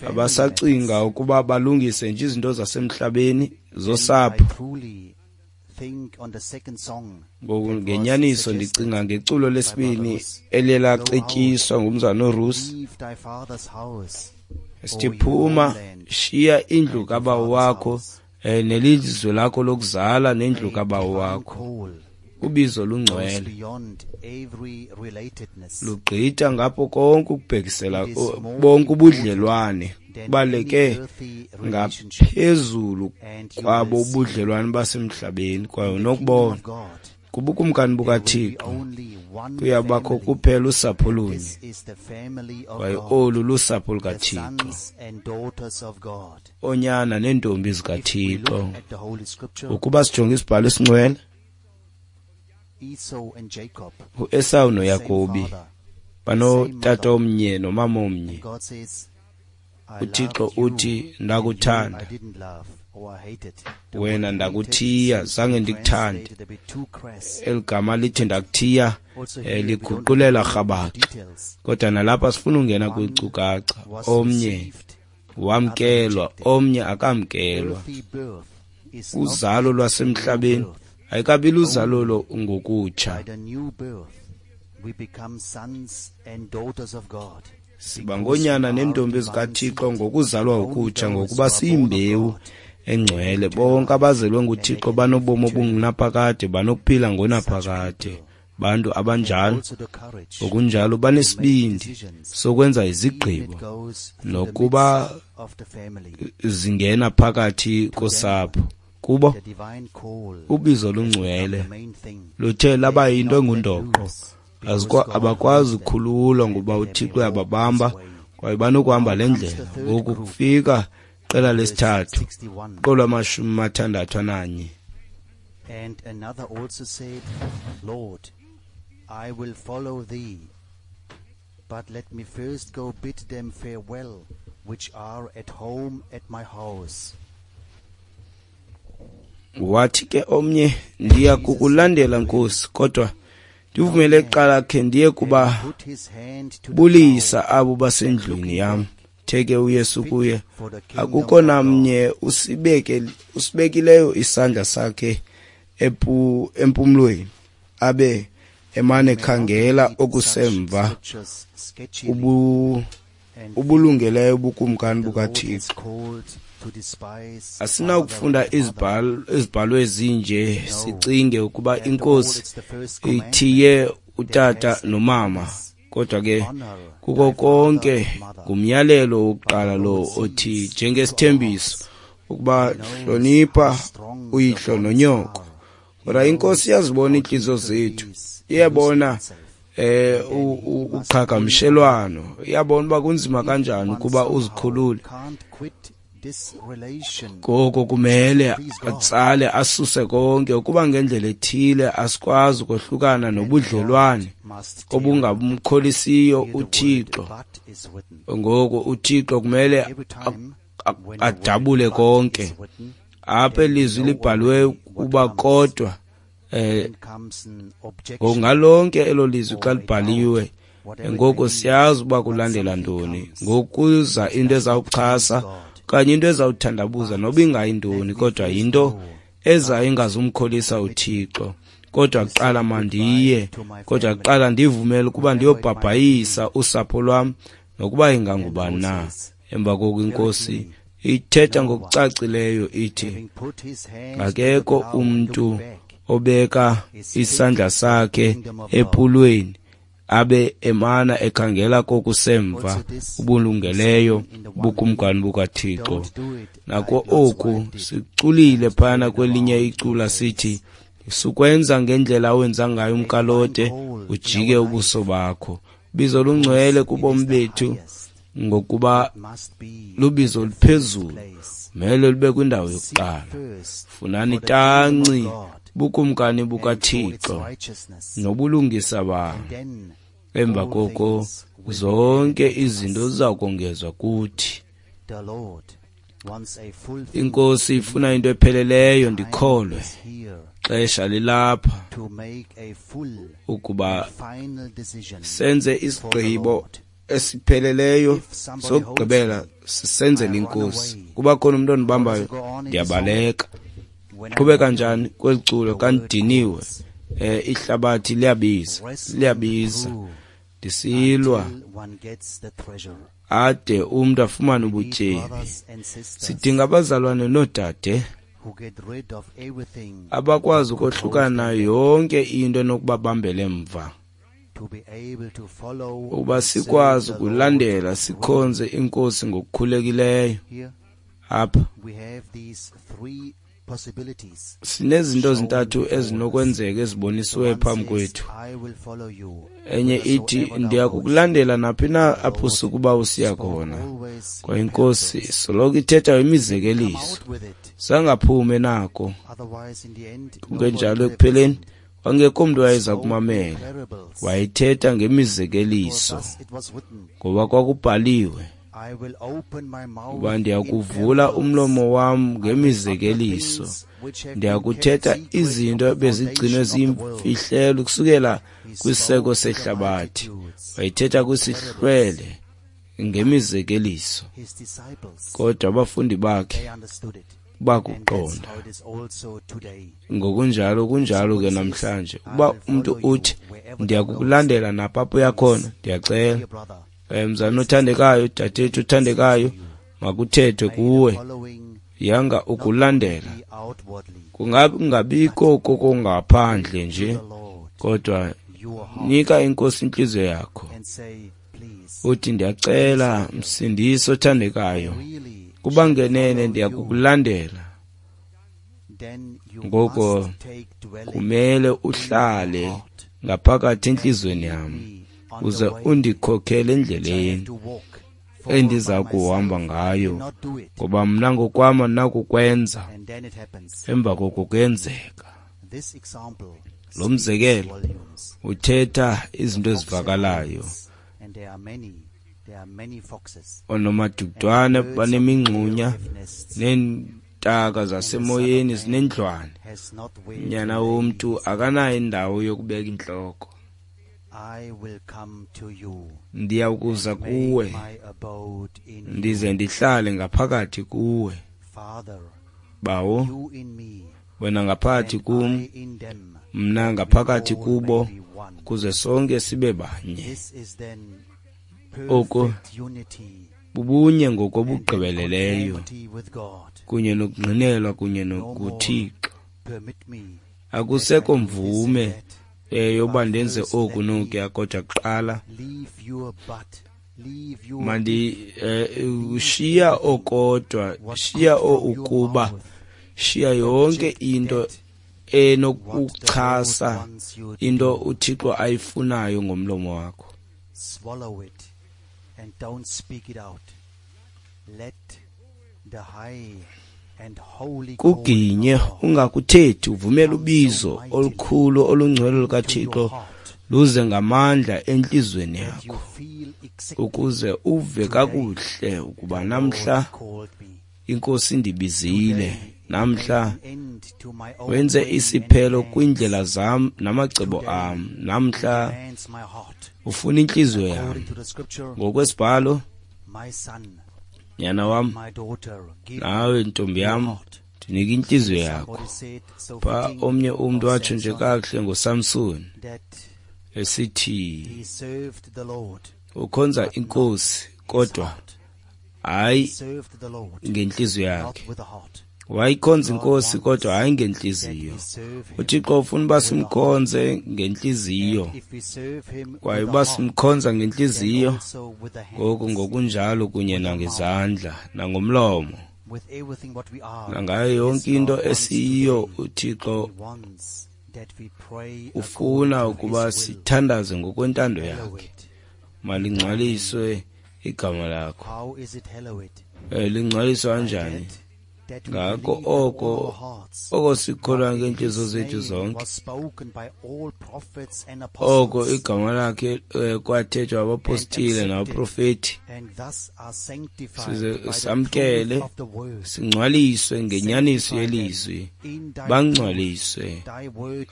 abasacinga ukuba balungise nje izinto zasemhlabeni zosapho. Ngoku ngenyaniso ndicinga ngeculo lesibini eliye lacetyiswa ngumzana uRusi, sithi phuma, shiya indlu kabawo wakho nelizwe lakho lokuzala nendlu kabawo wakho. Ubizo lungcwele lugqitha ngapho konke ukubhekisela bonke ubudlelwane, kubaluleke ngaphezulu kwabo ubudlelwane basemhlabeni. Kwaye unokubona kubukumkani bukaThixo kuyabakho kuphela usapho lunye, kwaye olu lusapho lukaThixo, oonyana neentombi zikaThixo. Ukuba sijonge isibhalo esingcwele, uEsawu noYakobi banotata omnye nomama omnye. uThixo uthi, ndakuthanda wena, ndakuthiya, zange ndikuthande. Eli gama lithi ndakuthiya liguqulela rhabaxa, kodwa nalapha sifuna ungena kwiinkcukacha. Omnye wamkelwa, omnye akamkelwa. Uzalo lwasemhlabeni Ayikabi luzalo ngokutsha. Siba ngoonyana neentombi zikaThixo ngokuzalwa okutsha, ngokuba siyimbewu engcwele. Bonke abazelwe nguThixo banobomi obungunaphakade, banokuphila ngonaphakade. Bantu abanjalo ngokunjalo banesibindi sokwenza izigqibo nokuba zingena phakathi kosapho. Kubo ubizo lungcwele luthe laba yinto engundoqo. Abakwazi ukukhululwa ngoba uThixo uyababamba kwaye banokuhamba le ndlela. Ngoku kufika iqela lesithathu, iqolo 61. And another also said, Lord, I will follow thee, but let me first go bid them farewell, which are at home at my house. Wathi ke omnye, ndiya kukulandela Nkosi, kodwa ndivumele kuqala khe ndiye kuba bulisa abo basendlwini yam. Uthe ke uYesu kuye, akukho namnye usibekileyo isandla sakhe empumlweni, abe emane khangela okusemva ubulungeleyo ubukumkani bukaThixo. Asinakufunda izibhalo ezinje sicinge ukuba iNkosi ithiye utata nomama, kodwa ke kuko konke ngumyalelo wokuqala lo othi njengesithembiso ukuba hlonipha uyihlo nonyoko. Kodwa iNkosi iyazibona iintliziyo zethu, iyabona uqhagamshelwano, iyabona uba kunzima kanjani ukuba uzikhulule. Ngoko kumele atsale asuse konke, ukuba ngendlela ethile asikwazi ukohlukana nobudlelwane obungabumkholisiyo uThixo. Ngoko uThixo kumele adabule konke. Apha ilizwi libhalwe ukuba kodwa ngalonke elo lizwi xa libhaliwe, ngoko siyazi uba kulandela ntoni. Ngokuza into ezawuchasa okanye into ezawuthandabuza noba ingayintoni, kodwa yinto eza ingazumkholisa uThixo. Kodwa kuqala mandiye, kodwa kuqala ndivumele ukuba ndiyobhabhayisa usapho lwam nokuba ingangubani na. Emva koko iNkosi ithetha ngokucacileyo ithi, akekho umntu obeka isandla sakhe epulweni abe emana ekhangela kokusemva ubulungeleyo bukumkani bukaThixo. Nako oku siculile phana kwelinye icula sithi, sukwenza ngendlela owenza ngayo umkalote, ujike ubuso bakho. Bizo lungcwele kubomi bethu, ngokuba lubizo luphezulu, mele lube kwindawo yokuqala. Funani tanci bukumkani bukaThixo nobulungisa bakhe. Emva koko zonke izinto ziza kongezwa kuthi. INkosi ifuna into epheleleyo, ndikholwe. Xesha lilapha ukuba senze isigqibo esipheleleyo sokugqibela, sisenzele iNkosi. Kuba khona umntu ondibambayo, ndiyabaleka. Qhubeka njani kweli culo kandidiniwe? Ihlabathi liyabiza, liyabiza, ndisilwa ade umntu afumane ubutyebi. Sidinga abazalwane noodade abakwazi ukohlukana yonke into enokubabambela emva, ukuba sikwazi ukulandela sikhonze iNkosi ngokukhulekileyo. Apha sinezinto ezintathu ezinokwenzeka ezibonisiweyo phambi kwethu. Enye ithi, ndiyakukulandela naphi na apho sukuba usiya khona. Kwaye iNkosi soloko ithetha imizekeliso, sangaphume nako. Kungenjalo ekupheleni wangekho mntu wayeza kumamela. Wayethetha ngemizekeliso, ngoba kwakubhaliwe uba ndiyakuvula umlomo wam ngemizekeliso, ndiyakuthetha izinto ebezigcinwe ziyimfihlelo kusukela kwisiseko sehlabathi. Wayethetha kwisihlwele ngemizekeliso, kodwa abafundi bakhe Bakuqonda. Ngokunjalo kunjalo ke namhlanje. Uba umntu uthi ndiyakukulandela napha apho uyakhona, ndiyacela. Mzalwana othandekayo, dadethu othandekayo, makuthethwe kuwe. Yanga ukulandela. Kungabikho kokungaphandle nje, kodwa nika iNkosi intliziyo yakho. Uthi ndiyacela Msindisi othandekayo, kuba ngenene ndiyakukulandela. Ngoko kumele uhlale ngaphakathi entliziyweni yam, uze undikhokhele endleleni endiza kuhamba ngayo, ngoba mna ngokwam andinakukwenza. Emva koko kuyenzeka. Lo mzekelo uthetha izinto ezivakalayo. Oonomadudwane banemingxunya, neentaka zasemoyeni zinendlwane. Unyana womntu akanayo indawo yokubeka intloko. Ndiya kuza kuwe, ndize ndihlale ngaphakathi kuwe. Bawo, wena ngaphakathi kum, mna ngaphakathi kubo, kuze sonke sibe banye. Oko bubunye ngokobugqibeleleyo, kunye nokungqinelwa kunye nokuThixo. Akusekho mvume yoba ndenze oku nokuya, kodwa kuqala mandi ushiya okodwa, shiya ukuba, shiya yonke into enokuchasa into uThixo ayifunayo ngomlomo wakho. Swallow it and don't speak it out. Let the high and holy Kuginye ungakuthethi, uvumele ubizo olukhulu olungcwele lukaThixo luze ngamandla entliziyweni yakho, ukuze uve kakuhle ukuba namhla iNkosi indibizile, namhla wenze isiphelo kwiindlela zam namacebo am, namhla ufuna intliziyo yam. Ngokwesibhalo, nyana wam, nawe ntombi yam, ndinika intliziyo yakho. Pha omnye umntu watsho nje kakuhle ngoSamson esithi ukhonza iNkosi kodwa hayi ngentliziyo yakhe. Wayikhonza iNkosi kodwa hayi ngentliziyo. uThixo ufuna uba simkhonze ngentliziyo, kwaye uba simkhonza ngentliziyo, ngoku ngokunjalo kunye nangezandla nangomlomo nangayo yonke into esiyiyo. uThixo ufuna ukuba sithandaze ngokwentando yakhe. Malingcwaliswe igama lakho. Lingcwaliswa kanjani? Ngako oko sikholwa ngeentliziyo zethu zonke, oko igama lakhe kwathethwa abapostile nabaprofeti, size samkele singcwaliswe ngenyaniso yelizwi. Bangcwaliswe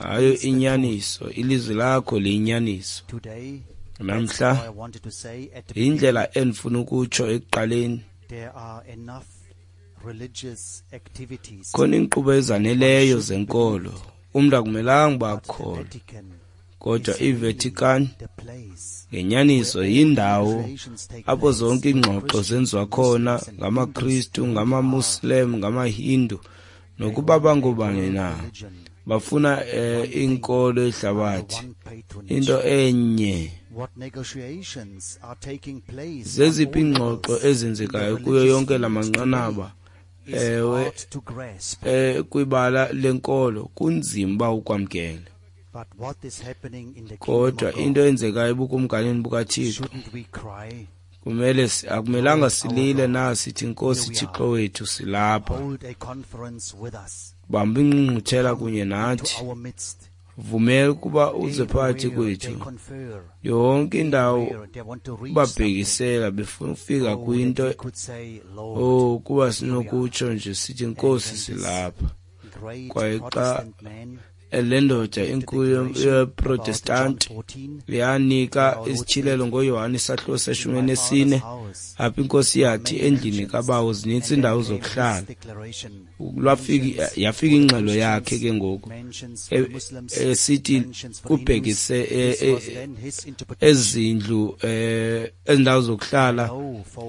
ngayo inyaniso, ilizwi lakho liyinyaniso. Namhla indlela endifuna ukutsho ekuqaleni, khona iinkqubo ezaneleyo zenkolo, umntu akumelanga uba akholwe, kodwa iVatican ngenyaniso yindawo apho zonke iingxoxo zenziwa khona ngamaKristu, ngamaMuslim, ngamaHindu, nokuba bangobani na. Bafuna inkolo yehlabathi, into enye. Zeziphi iingxoxo ezenzekayo kuyo yonke la manqanaba ewe kwibala lenkolo? Kunzima uba ukwamkele. Kodwa into eyenzekayo ebukumkanini bukaThixo, kumele akumelanga silile na sithi, Nkosi Thixo wethu, silapha, bamba ingqungquthela kunye nathi, vumela ukuba uze phakathi kwethu. Yonke indawo babhekisela befuna ukufika kwinto, kuba sinokutsho nje sithi, Nkosi, silapha. Kwaye xa Le ndoda inkulu yeProtestanti yanika isityhilelo ngoYohane isahluko se-14, apho inkosi yathi endlini kaBawo zinintsi iindawo zokuhlala. Yafika ingxelo yakhe ke ngoku esithi kubhekise ezindlu ezindawo zokuhlala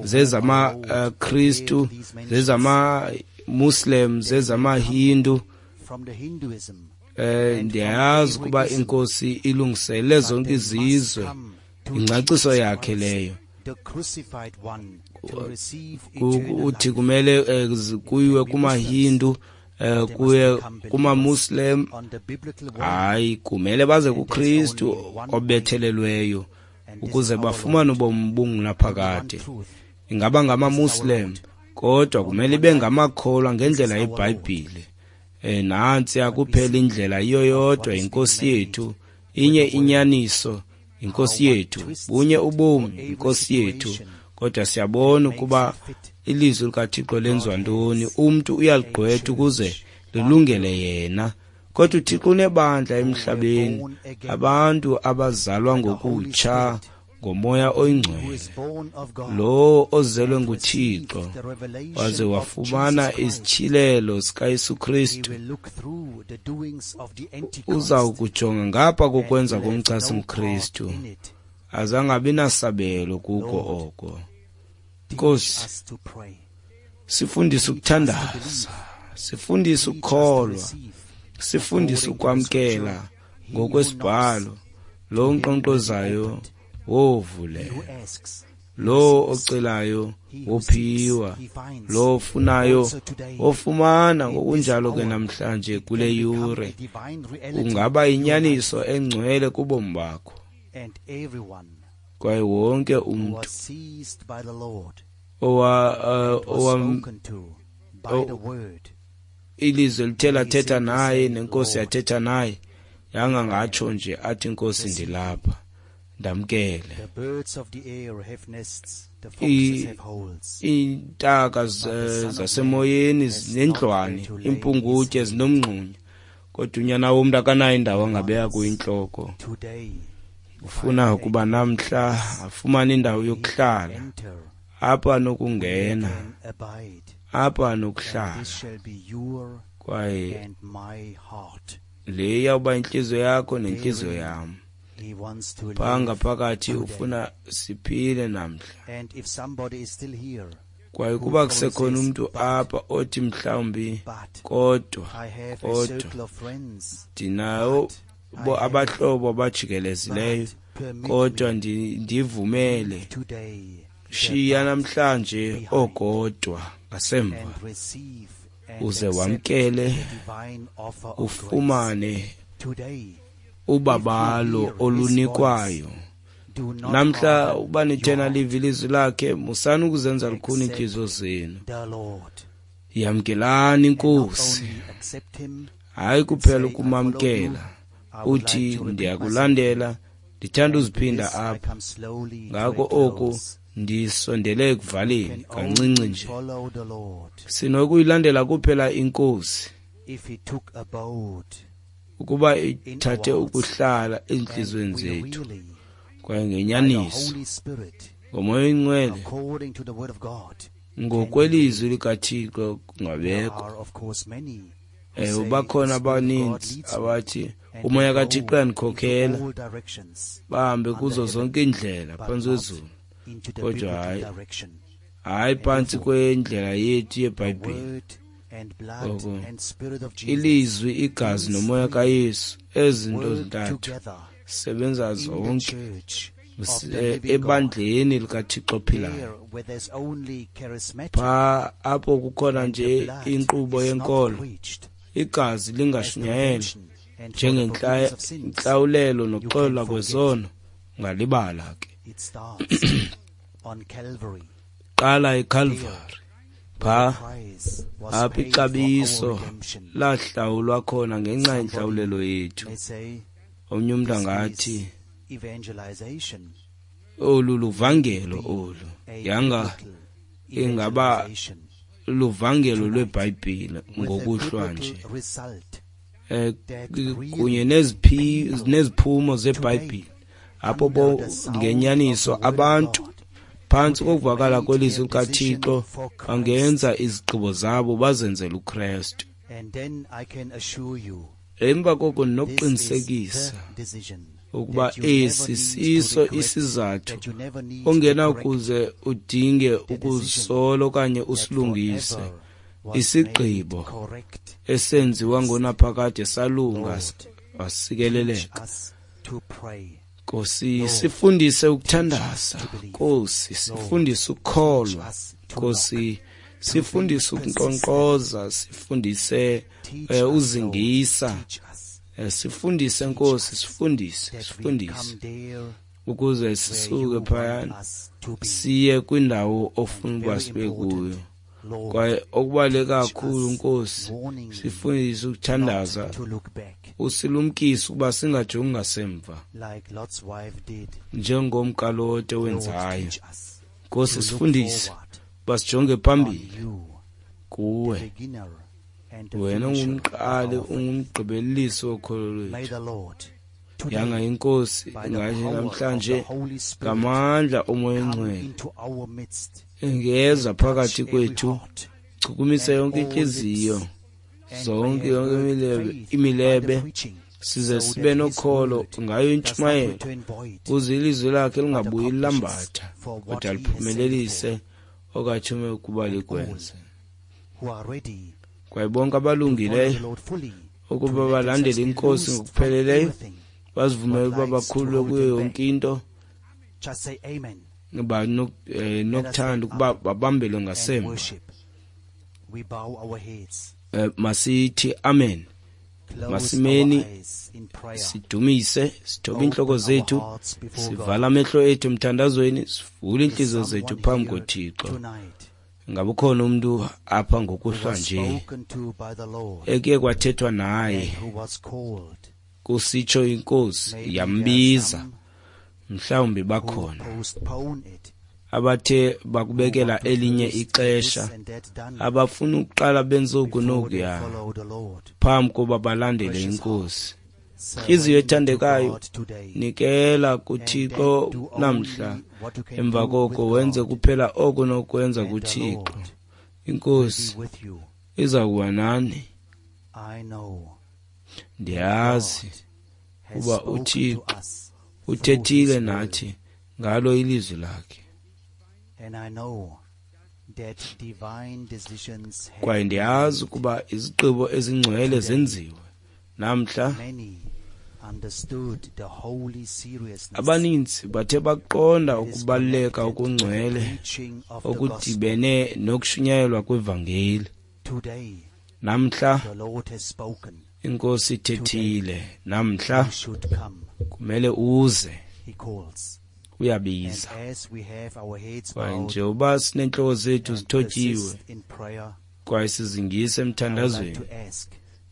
zezamaKristu, zezamaMuslim, zezamaHindu. Ndiyayazi ukuba inkosi ilungisele zonke izizwe, ingcaciso yakhe leyo. Uthi kumele kuyiwe kumaHindu, kuye kumaMuslim. Hayi, kumele baze kuKristu obethelelweyo ukuze bafumane ubomi obungunaphakade. Ingaba ngamaMuslim, kodwa kumele ibe ngamakholwa ngendlela yeBhayibhile. Nantsi akuphela indlela yiyo yodwa, inkosi yethu, inye inyaniso, inkosi yethu, bunye ubomi, inkosi yethu. Kodwa siyabona ukuba ilizwi likaThixo lenziwa ntoni. Umntu uyaligqwetha ukuze lilungele yena, kodwa uThixo unebandla emhlabeni, abantu abazalwa ngokutsha ngoMoya oyiNgcwele, lo ozelwe nguThixo waze wafumana isityhilelo sikaYesu Kristu, uza kujonga ngapha kokwenza komchasi mKristu, azangabi nasabelo kuko oko. Nkosi, sifundise ukuthandaza, sifundise ukukholwa, sifundise ukwamkela ngokwesibhalo. Lo unkqonkqozayo wovulela, lo ocelayo wophiwa, lo ofunayo wofumana. Ngokunjalo ke namhlanje kule yure ungaba inyaniso engcwele kubomi bakho, kwaye wonke umntu ilizwe lithe lathetha naye nenkosi yathetha naye, yangangatsho nje athi inkosi ndilapha, ndamkele. Iintaka zasemoyeni zinendlwane, iimpungutye zinomngxunya, kodwa unyana womntu akanayo indawo angabeka kuyo intloko. Ufuna ukuba namhla afumane indawo yokuhlala, apho anokungena, apho anokuhlala, kwaye le iyawuba intliziyo yakho nentliziyo yam. Phaa ngaphakathi ufuna siphile namhla. Kwaye kuba kusekhona umntu apha othi mhlawumbi kodwa ndinawo abahlobo abajikelezileyo, kodwa ndivumele, shiya namhlanje okodwa ngasemva, uze wamkele ufumane ubabalo olunikwayo namhla. Uba nithena live ilizwi lakhe, musani ukuzenza lukhuni iintliziyo zenu. Yamkelani inkosi, hayi kuphela ukumamkela uthi ndiyakulandela, ndithanda uziphinda apha. Ngako oku ndisondele ekuvaleni kancinci nje. Sinokuyilandela kuphela inkosi ukuba ithathe ukuhlala ezintliziyweni zethu, kwaye ngenyaniso ngoMoya oyiNgcwele ngokwelizwi likaThixo kungabekho. Ewe, bakhona abaninzi abathi uMoya kaThixo uyandikhokhela, bahambe kuzo zonke iindlela phantsi kwezulu, kodwa hayi phantsi kwendlela yethu yeBhayibhile. Ngoko ilizwi, igazi nomoya kaYesu, ezinto zintathu sebenza zonke ebandleni likaThixo ophilayo. Phaa apho kukhona nje inkqubo yenkolo, igazi lingashunyayelwa njengentlawulelo nokuxolelwa kwezono, ungalibala ke. Qala eCalvary, phaa apho ixabiso lahlawulwa khona ngenxa yentlawulelo yethu. Omnye umntu angathi olu luvangelo olu, yanga ingaba luvangelo lweBhayibhile ngokuhlwa nje. kunye neziphumo zeBhayibhile, apho ngenyaniso abantu phantsi kokuvakala kwelizwi likaThixo bangenza izigqibo zabo bazenzele uKristu. Emva koko ndinokuqinisekisa ukuba esi siso isizathu ongenakuze udinge ukuzisola okanye usilungise. Isigqibo esenziwa ngonaphakade salunga wasikeleleka. Nkosi, sifundise ukuthandaza. Nkosi, sifundise ukukholwa. Nkosi, sifundise ukunkqonkqoza, sifundise uzingisa. Sifundise Nkosi, sifundise ukuze sisuke phayana siye kwindawo ofuna ukuba sibe kuyo. Kwaye okubaluleke kakhulu Nkosi, sifundise ukuthandaza, usilumkise ukuba singajongi ngasemva njengomkaLote wenzayo. Nkosi, sifundise uba sijonge phambili kuwe. Wena ungumqali, ungumgqibelelisi wokholo lwethu. Yanga iNkosi ingathi namhlanje ngamandla oMoya oNgcwele ingeza phakathi kwethu, chukumise yonke intliziyo, zonke yonke imilebe, size sibe nokholo ngayo intshumayelo, ukuze ilizwi lakhe lingabuyi lambatha, kodwa liphumelelise okathume ukuba likwenze. Kwaye bonke abalungileyo ukuba balandele iNkosi ngokupheleleyo, bazivumele ukuba bakhululwe kuyo yonke into, nokuthanda ukuba babambelwe ngasemva. Masithi amen. Masimeni sidumise, sithobe iintloko zethu, sivala amehlo ethu emthandazweni, sivule iintliziyo zethu phambi koThixo. Ngabe ukhona umntu apha ngokuhlwa nje ekuye kwathethwa naye, kusitsho iNkosi yambiza? Mhlawumbi bakhona abathe bakubekela elinye ixesha, abafuna ukuqala benze oku nokuya phambi koba balandele iNkosi. Intliziyo ethandekayo, nikela kuThixo namhla, emva koko wenze kuphela oko nokwenza kuThixo. INkosi iza kuba nani. Ndiyazi uba uThixo uthethile nathi ngalo ilizwi lakhe, kwaye ndiyazi ukuba izigqibo ezingcwele zenziwe namhla. Abaninzi bathe baqonda ukubaluleka okungcwele okudibene nokushunyayelwa kwevangeli. Namhla iNkosi ithethile, namhla kumele uze. Uyabiza. Kwaye njengoba sineentloko zethu zithotyiwe kwaye sizingise emthandazweni,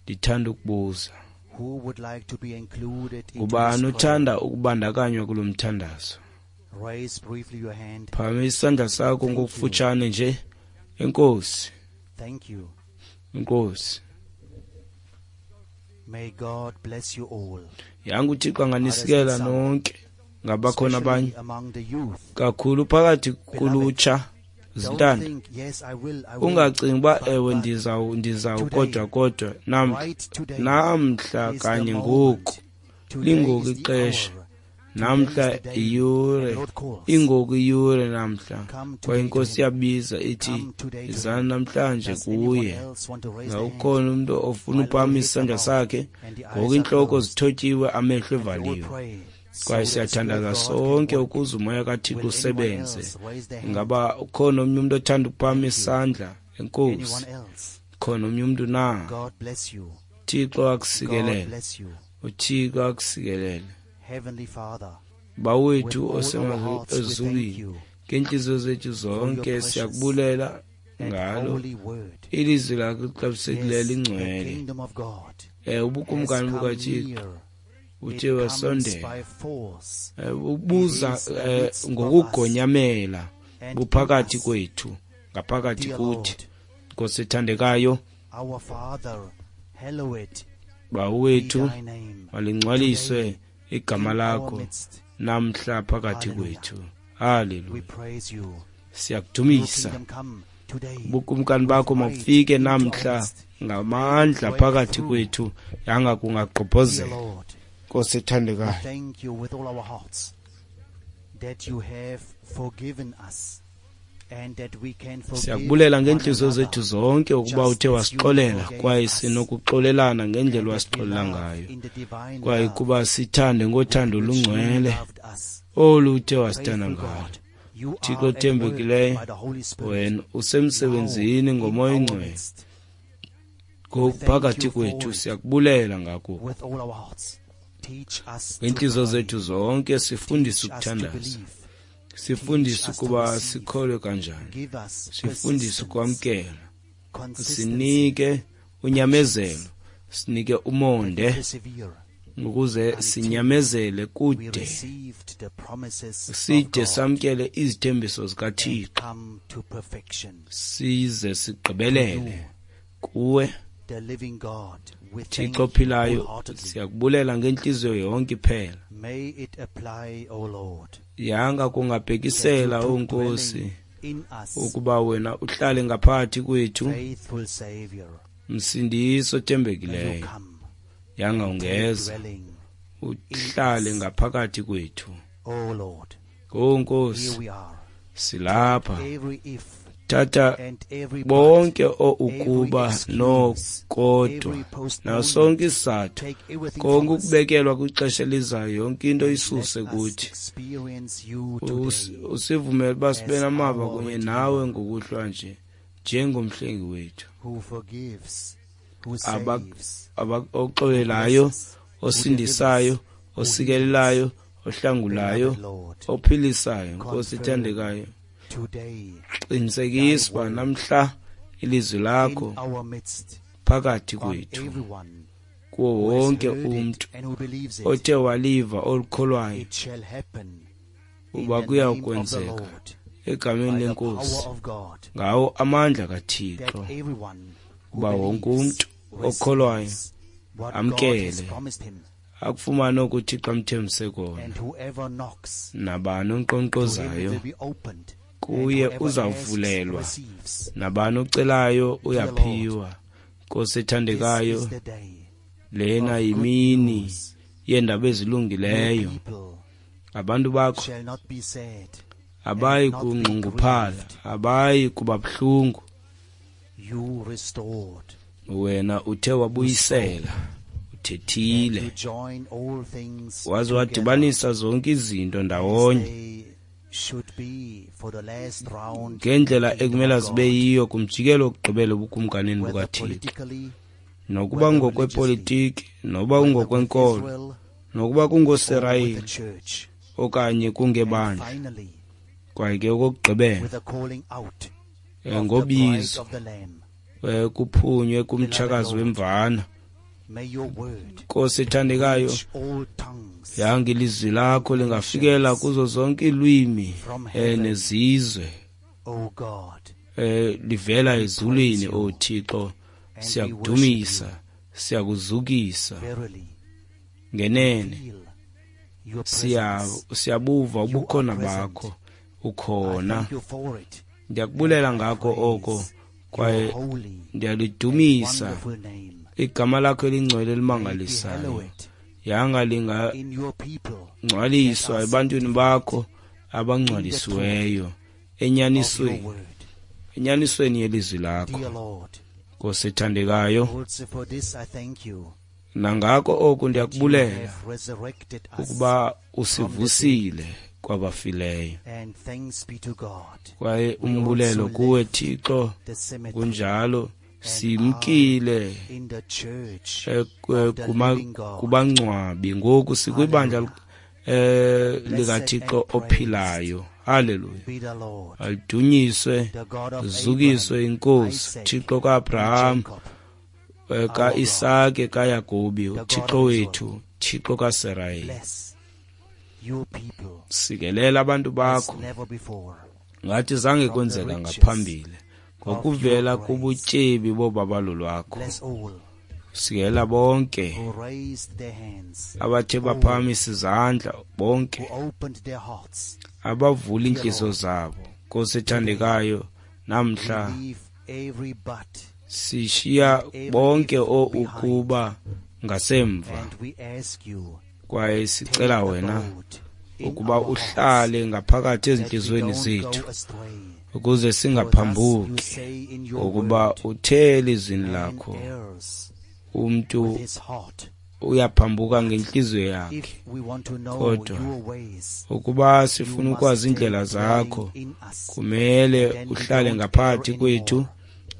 ndithanda ukubuza, ngubani othanda ukubandakanywa kulo mthandazo? Phakamisa isandla sakho ngokufutshane nje. Enkosi. Enkosi. Yanga uThixo anganisikela nonke. Ngabakhona abanye kakhulu phakathi kulutsha zintanda. Ungacingi uba ewe ndizawu kodwa namhla kanye ngoku lingoku ixesha, namhla iyure, ingoku iyure namhla. Kwaye iNkosi iyabiza ithi, izani namhlanje kuye. Ngawukhona umntu ofuna uphakamisa isandla sakhe ngoku, iintloko zithotyiwe, amehlo evaliwe. Kwaye siyathandaza sonke ukuze umoya kaThixo usebenze. Ingaba ukhona omnye umntu othanda ukuphakamisa isandla? Enkosi. Khona omnye umntu na? Thixo akusikelele. uThixo akusikelele. Bawethu osemazulwini, ngeentliziyo zethu zonke siyakubulela ngalo ilizwi lakho lixabisekileyo lingcwele. Ubukumkani bukaThixo uthe wasondela, ubuza ngokugonyamela buphakathi kwethu, ngaphakathi kuthi. Nkosi ethandekayo, Bawo wethu, malingcwaliswe igama lakho namhla phakathi kwethu. Haleluya. Siyakudumisa. Ubukumkani bakho mabufike namhla ngamandla phakathi kwethu, yanga kungagqobhozela. Nkosi ethandekayo, thank you with all our hearts that you have forgiven us and that we can forgive siyakubulela ngeentliziyo one another zethu zonke ukuba just uthe as you wasixolela forgave kwaye us, sinokuxolelana ngendlela and that we wasixolela love ngayo, in the divine kwaye love kuba sithande ngothando with which you olungcwele loved us. olu uthe wasithanda Faithful ngalo. God, you Thixo are at work othembekileyo, by the Holy Spirit wena usemsebenzini now in ngomoya our oyingcwele midst. ngoku Thank phakathi you for kwethu. it. Siyakubulela ngako With all our hearts, teach us to ngeentliziyo pray. zethu zonke. Sifundise Teach us to ukuthandaza, believe. sifundise Teach us to ukuba receive. sikholwe kanjani, Give us sifundise persistence, ukwamkela, consistency, sinike unyamezelo, sinike umonde persevere. ukuze sinyamezele We kude received the promises of side God samkele izithembiso and zikaThixo, come to perfection. size sigqibelele kuwe. The living God, we thank Thixo you ophilayo, wholeheartedly. siyakubulela ngentliziyo yonke iphela. May it apply, O Lord, Yanga that kungabhekisela, you o took Nkosi, dwelling in us, ukuba wena uhlale ngaphakathi kwethu, faithful Savior. Msindisi May you othembekileyo. come Yanga and take ungeza dwelling, uhlale ngaphakathi kwethu. O Lord. O Here Nkosi, we are. silapha. Every if Thatha and every but, bonke o ukuba every excuse, nokodwa every postponement, nasonke isizathu, take everything konke from us ukubekelwa kwixesha elizayo, yonke into and isuse let us kuthi. experience you today Usivumele uba sibe as namava our kunye Redeemer. nawe ngokuhlwa nje njengomhlengi wethu, who forgives, who saves, oxolelayo, blesses, who osindisayo, delivers, who osikelelayo, heals. ohlangulayo, Beloved Lord, ophilisayo. Nkosi confirm ethandekayo, today qinisekisa uba thy word namhla ilizwi in lakho our midst phakathi on kwethu everyone kuwo who has wonke heard it umntu and who believes it. othe waliva olukholwayo, It shall happen in uba the name of the kuyakwenzeka Lord, egameni by the lenkosi, power of God, ngawo amandla that kaThixo, everyone who uba wonke believes umntu okholwayo receives what God amkele has promised him, akufumane okuThixo amthembise kona. and whoever knocks, Nabani to him it onkqonkqozayo, will be opened, and kuye whoever asks uzawuvulelwa, receives. nabani ocelayo Dear Lord, uyaphiwa. Nkosi this ethandekayo, is the day lena of good yimini news. yeendaba Your ezilungileyo. people Abantu bakho shall not be sad abayi and not be kungxunguphala, grieved. abayi kuba buhlungu. You restored, Wena uthe you spoke, wabuyisela, and uthethile, you join all things waze together wadibanisa zonke izinto as ndawonye they should be for the last round in the ngendlela kingdom ekumele of zibe God, yiyo kumjikelo wokugqibela ebukumkanini whether bukaThixo, politically, nokuba whether religiously, ngokwepolitiki, noba whether with kungokwenkolo, Israel nokuba or with the kungoSirayeli church, okanye and kungebandla. finally Kwaye ke okokugqibela, with the calling out of the bride ngobizo of the Lamb. kuphunywe Beloved kumtshakazi Lord, wemvana. may your word Nkosi ethandekayo, reach all tongues yanga ilizwi lakho and lingafikela nations kuzo zonke iilwimi from heaven, nezizwe, O God. livela We praise ezulwini. you O Thixo, and we worship you. siyakudumisa, siyakuzukisa. Verily, we Ngenene feel your presence. siyabuva You are ubukhona present. bakho, I ukhona. thank you for it, and Ndiyakubulela I ngako oko, praise your kwaye holy and ndiyalidumisa wonderful name. igama lakho elingcwele May it be elimangalisayo. hallowed Yanga in your people that lingangcwaliswa are ebantwini sanctified bakho in the truth abangcwalisiweyo of your enyanisweni, word. enyanisweni yelizwi lakho. Dear Lord, Nkosi ethandekayo, also for this I thank you nangako oku that you ndiyakubulela have resurrected us ukuba from the dead. usivusile kwabafileyo. And thanks be to God, Kwaye we umbulelo also kuwe left Thixo, the cemetery kunjalo and are simkile in the church of the living God. kubangcwabi, ngoku sikwibandla Hallelujah. Blessed likaThixo and praised ophilayo. Haleluya. be the Lord, Adunyiswe, the God of zukiswe Abraham, inkosi, Isaac, Thixo and kaAbraham, Jacob, our God, kaIsake, kaYakobi, the God uThixo of Israel. wethu, Thixo kaSirayeli. Bless your people Sikelela abantu as bakho never before ngathi zange from the kwenzeka riches ngaphambili, of your ngokuvela grace. kubutyebi bobabalo lwakho. Bless all Sikela bonke who raised their hands, abathe baphakamisa izandla, bonke who opened their hearts. abavula iintliziyo zabo. Nkosi ethandekayo, namhla We leave every but sishiya bonke ukuba ngasemva, and we ask you, kwaye sicela take wena abode in ukuba our hearts, uhlale ngaphakathi that we ezintliziyweni don't zethu go astray. ukuze For thus you singaphambuki, say in your ngokuba word, uthe elizwini man lakho errs umntu with his heart. uyaphambuka ngentliziyo yakhe. If we want to know Kodwa your ways, ukuba you sifuna must ukwazi take iindlela zakho, dwelling in us. kumele Then we uhlale don't ngaphakathi err kwethu anymore.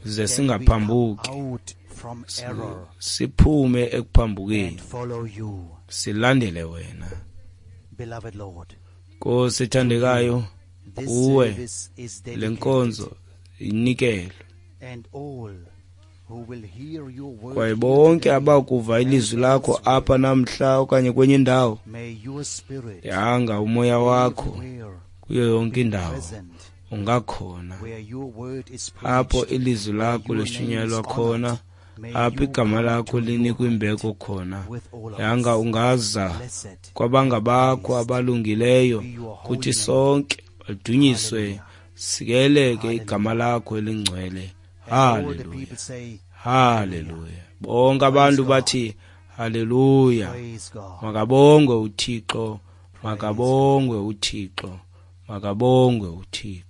ze Then we come singaphambuki, out from error siphume ekuphambukeni and follow you, silandele wena. beloved Lord. Nkosi ethandekayo, This kuwe service is le dedicated, nkonzo inikelwe, and all who will hear your word kwaye here bonke today abakuva and ilizwi lakho elsewhere, apha namhla okanye kwenye indawo, may your spirit yanga umoya wakho everywhere kuyo yonke be indawo present ungakhona where your word is apho preached, ilizwi where lakho your name lishunyayelwa is khona, honored. May apho you igama come lakho to your linikwa heart imbeko khona. with all of Yanga us. ungaza Blessed kwabangabakho and praised abalungileyo be your holy kuthi name. sonke, badunyiswe, Hallelujah. sikeleke Hallelujah. igama lakho elingcwele. And all the Haleluya, people say, haleluya. Bonke abantu Praise God. bathi haleluya. Praise God. Makabongwe uThixo, Praise makabongwe uThixo, makabongwe uThixo.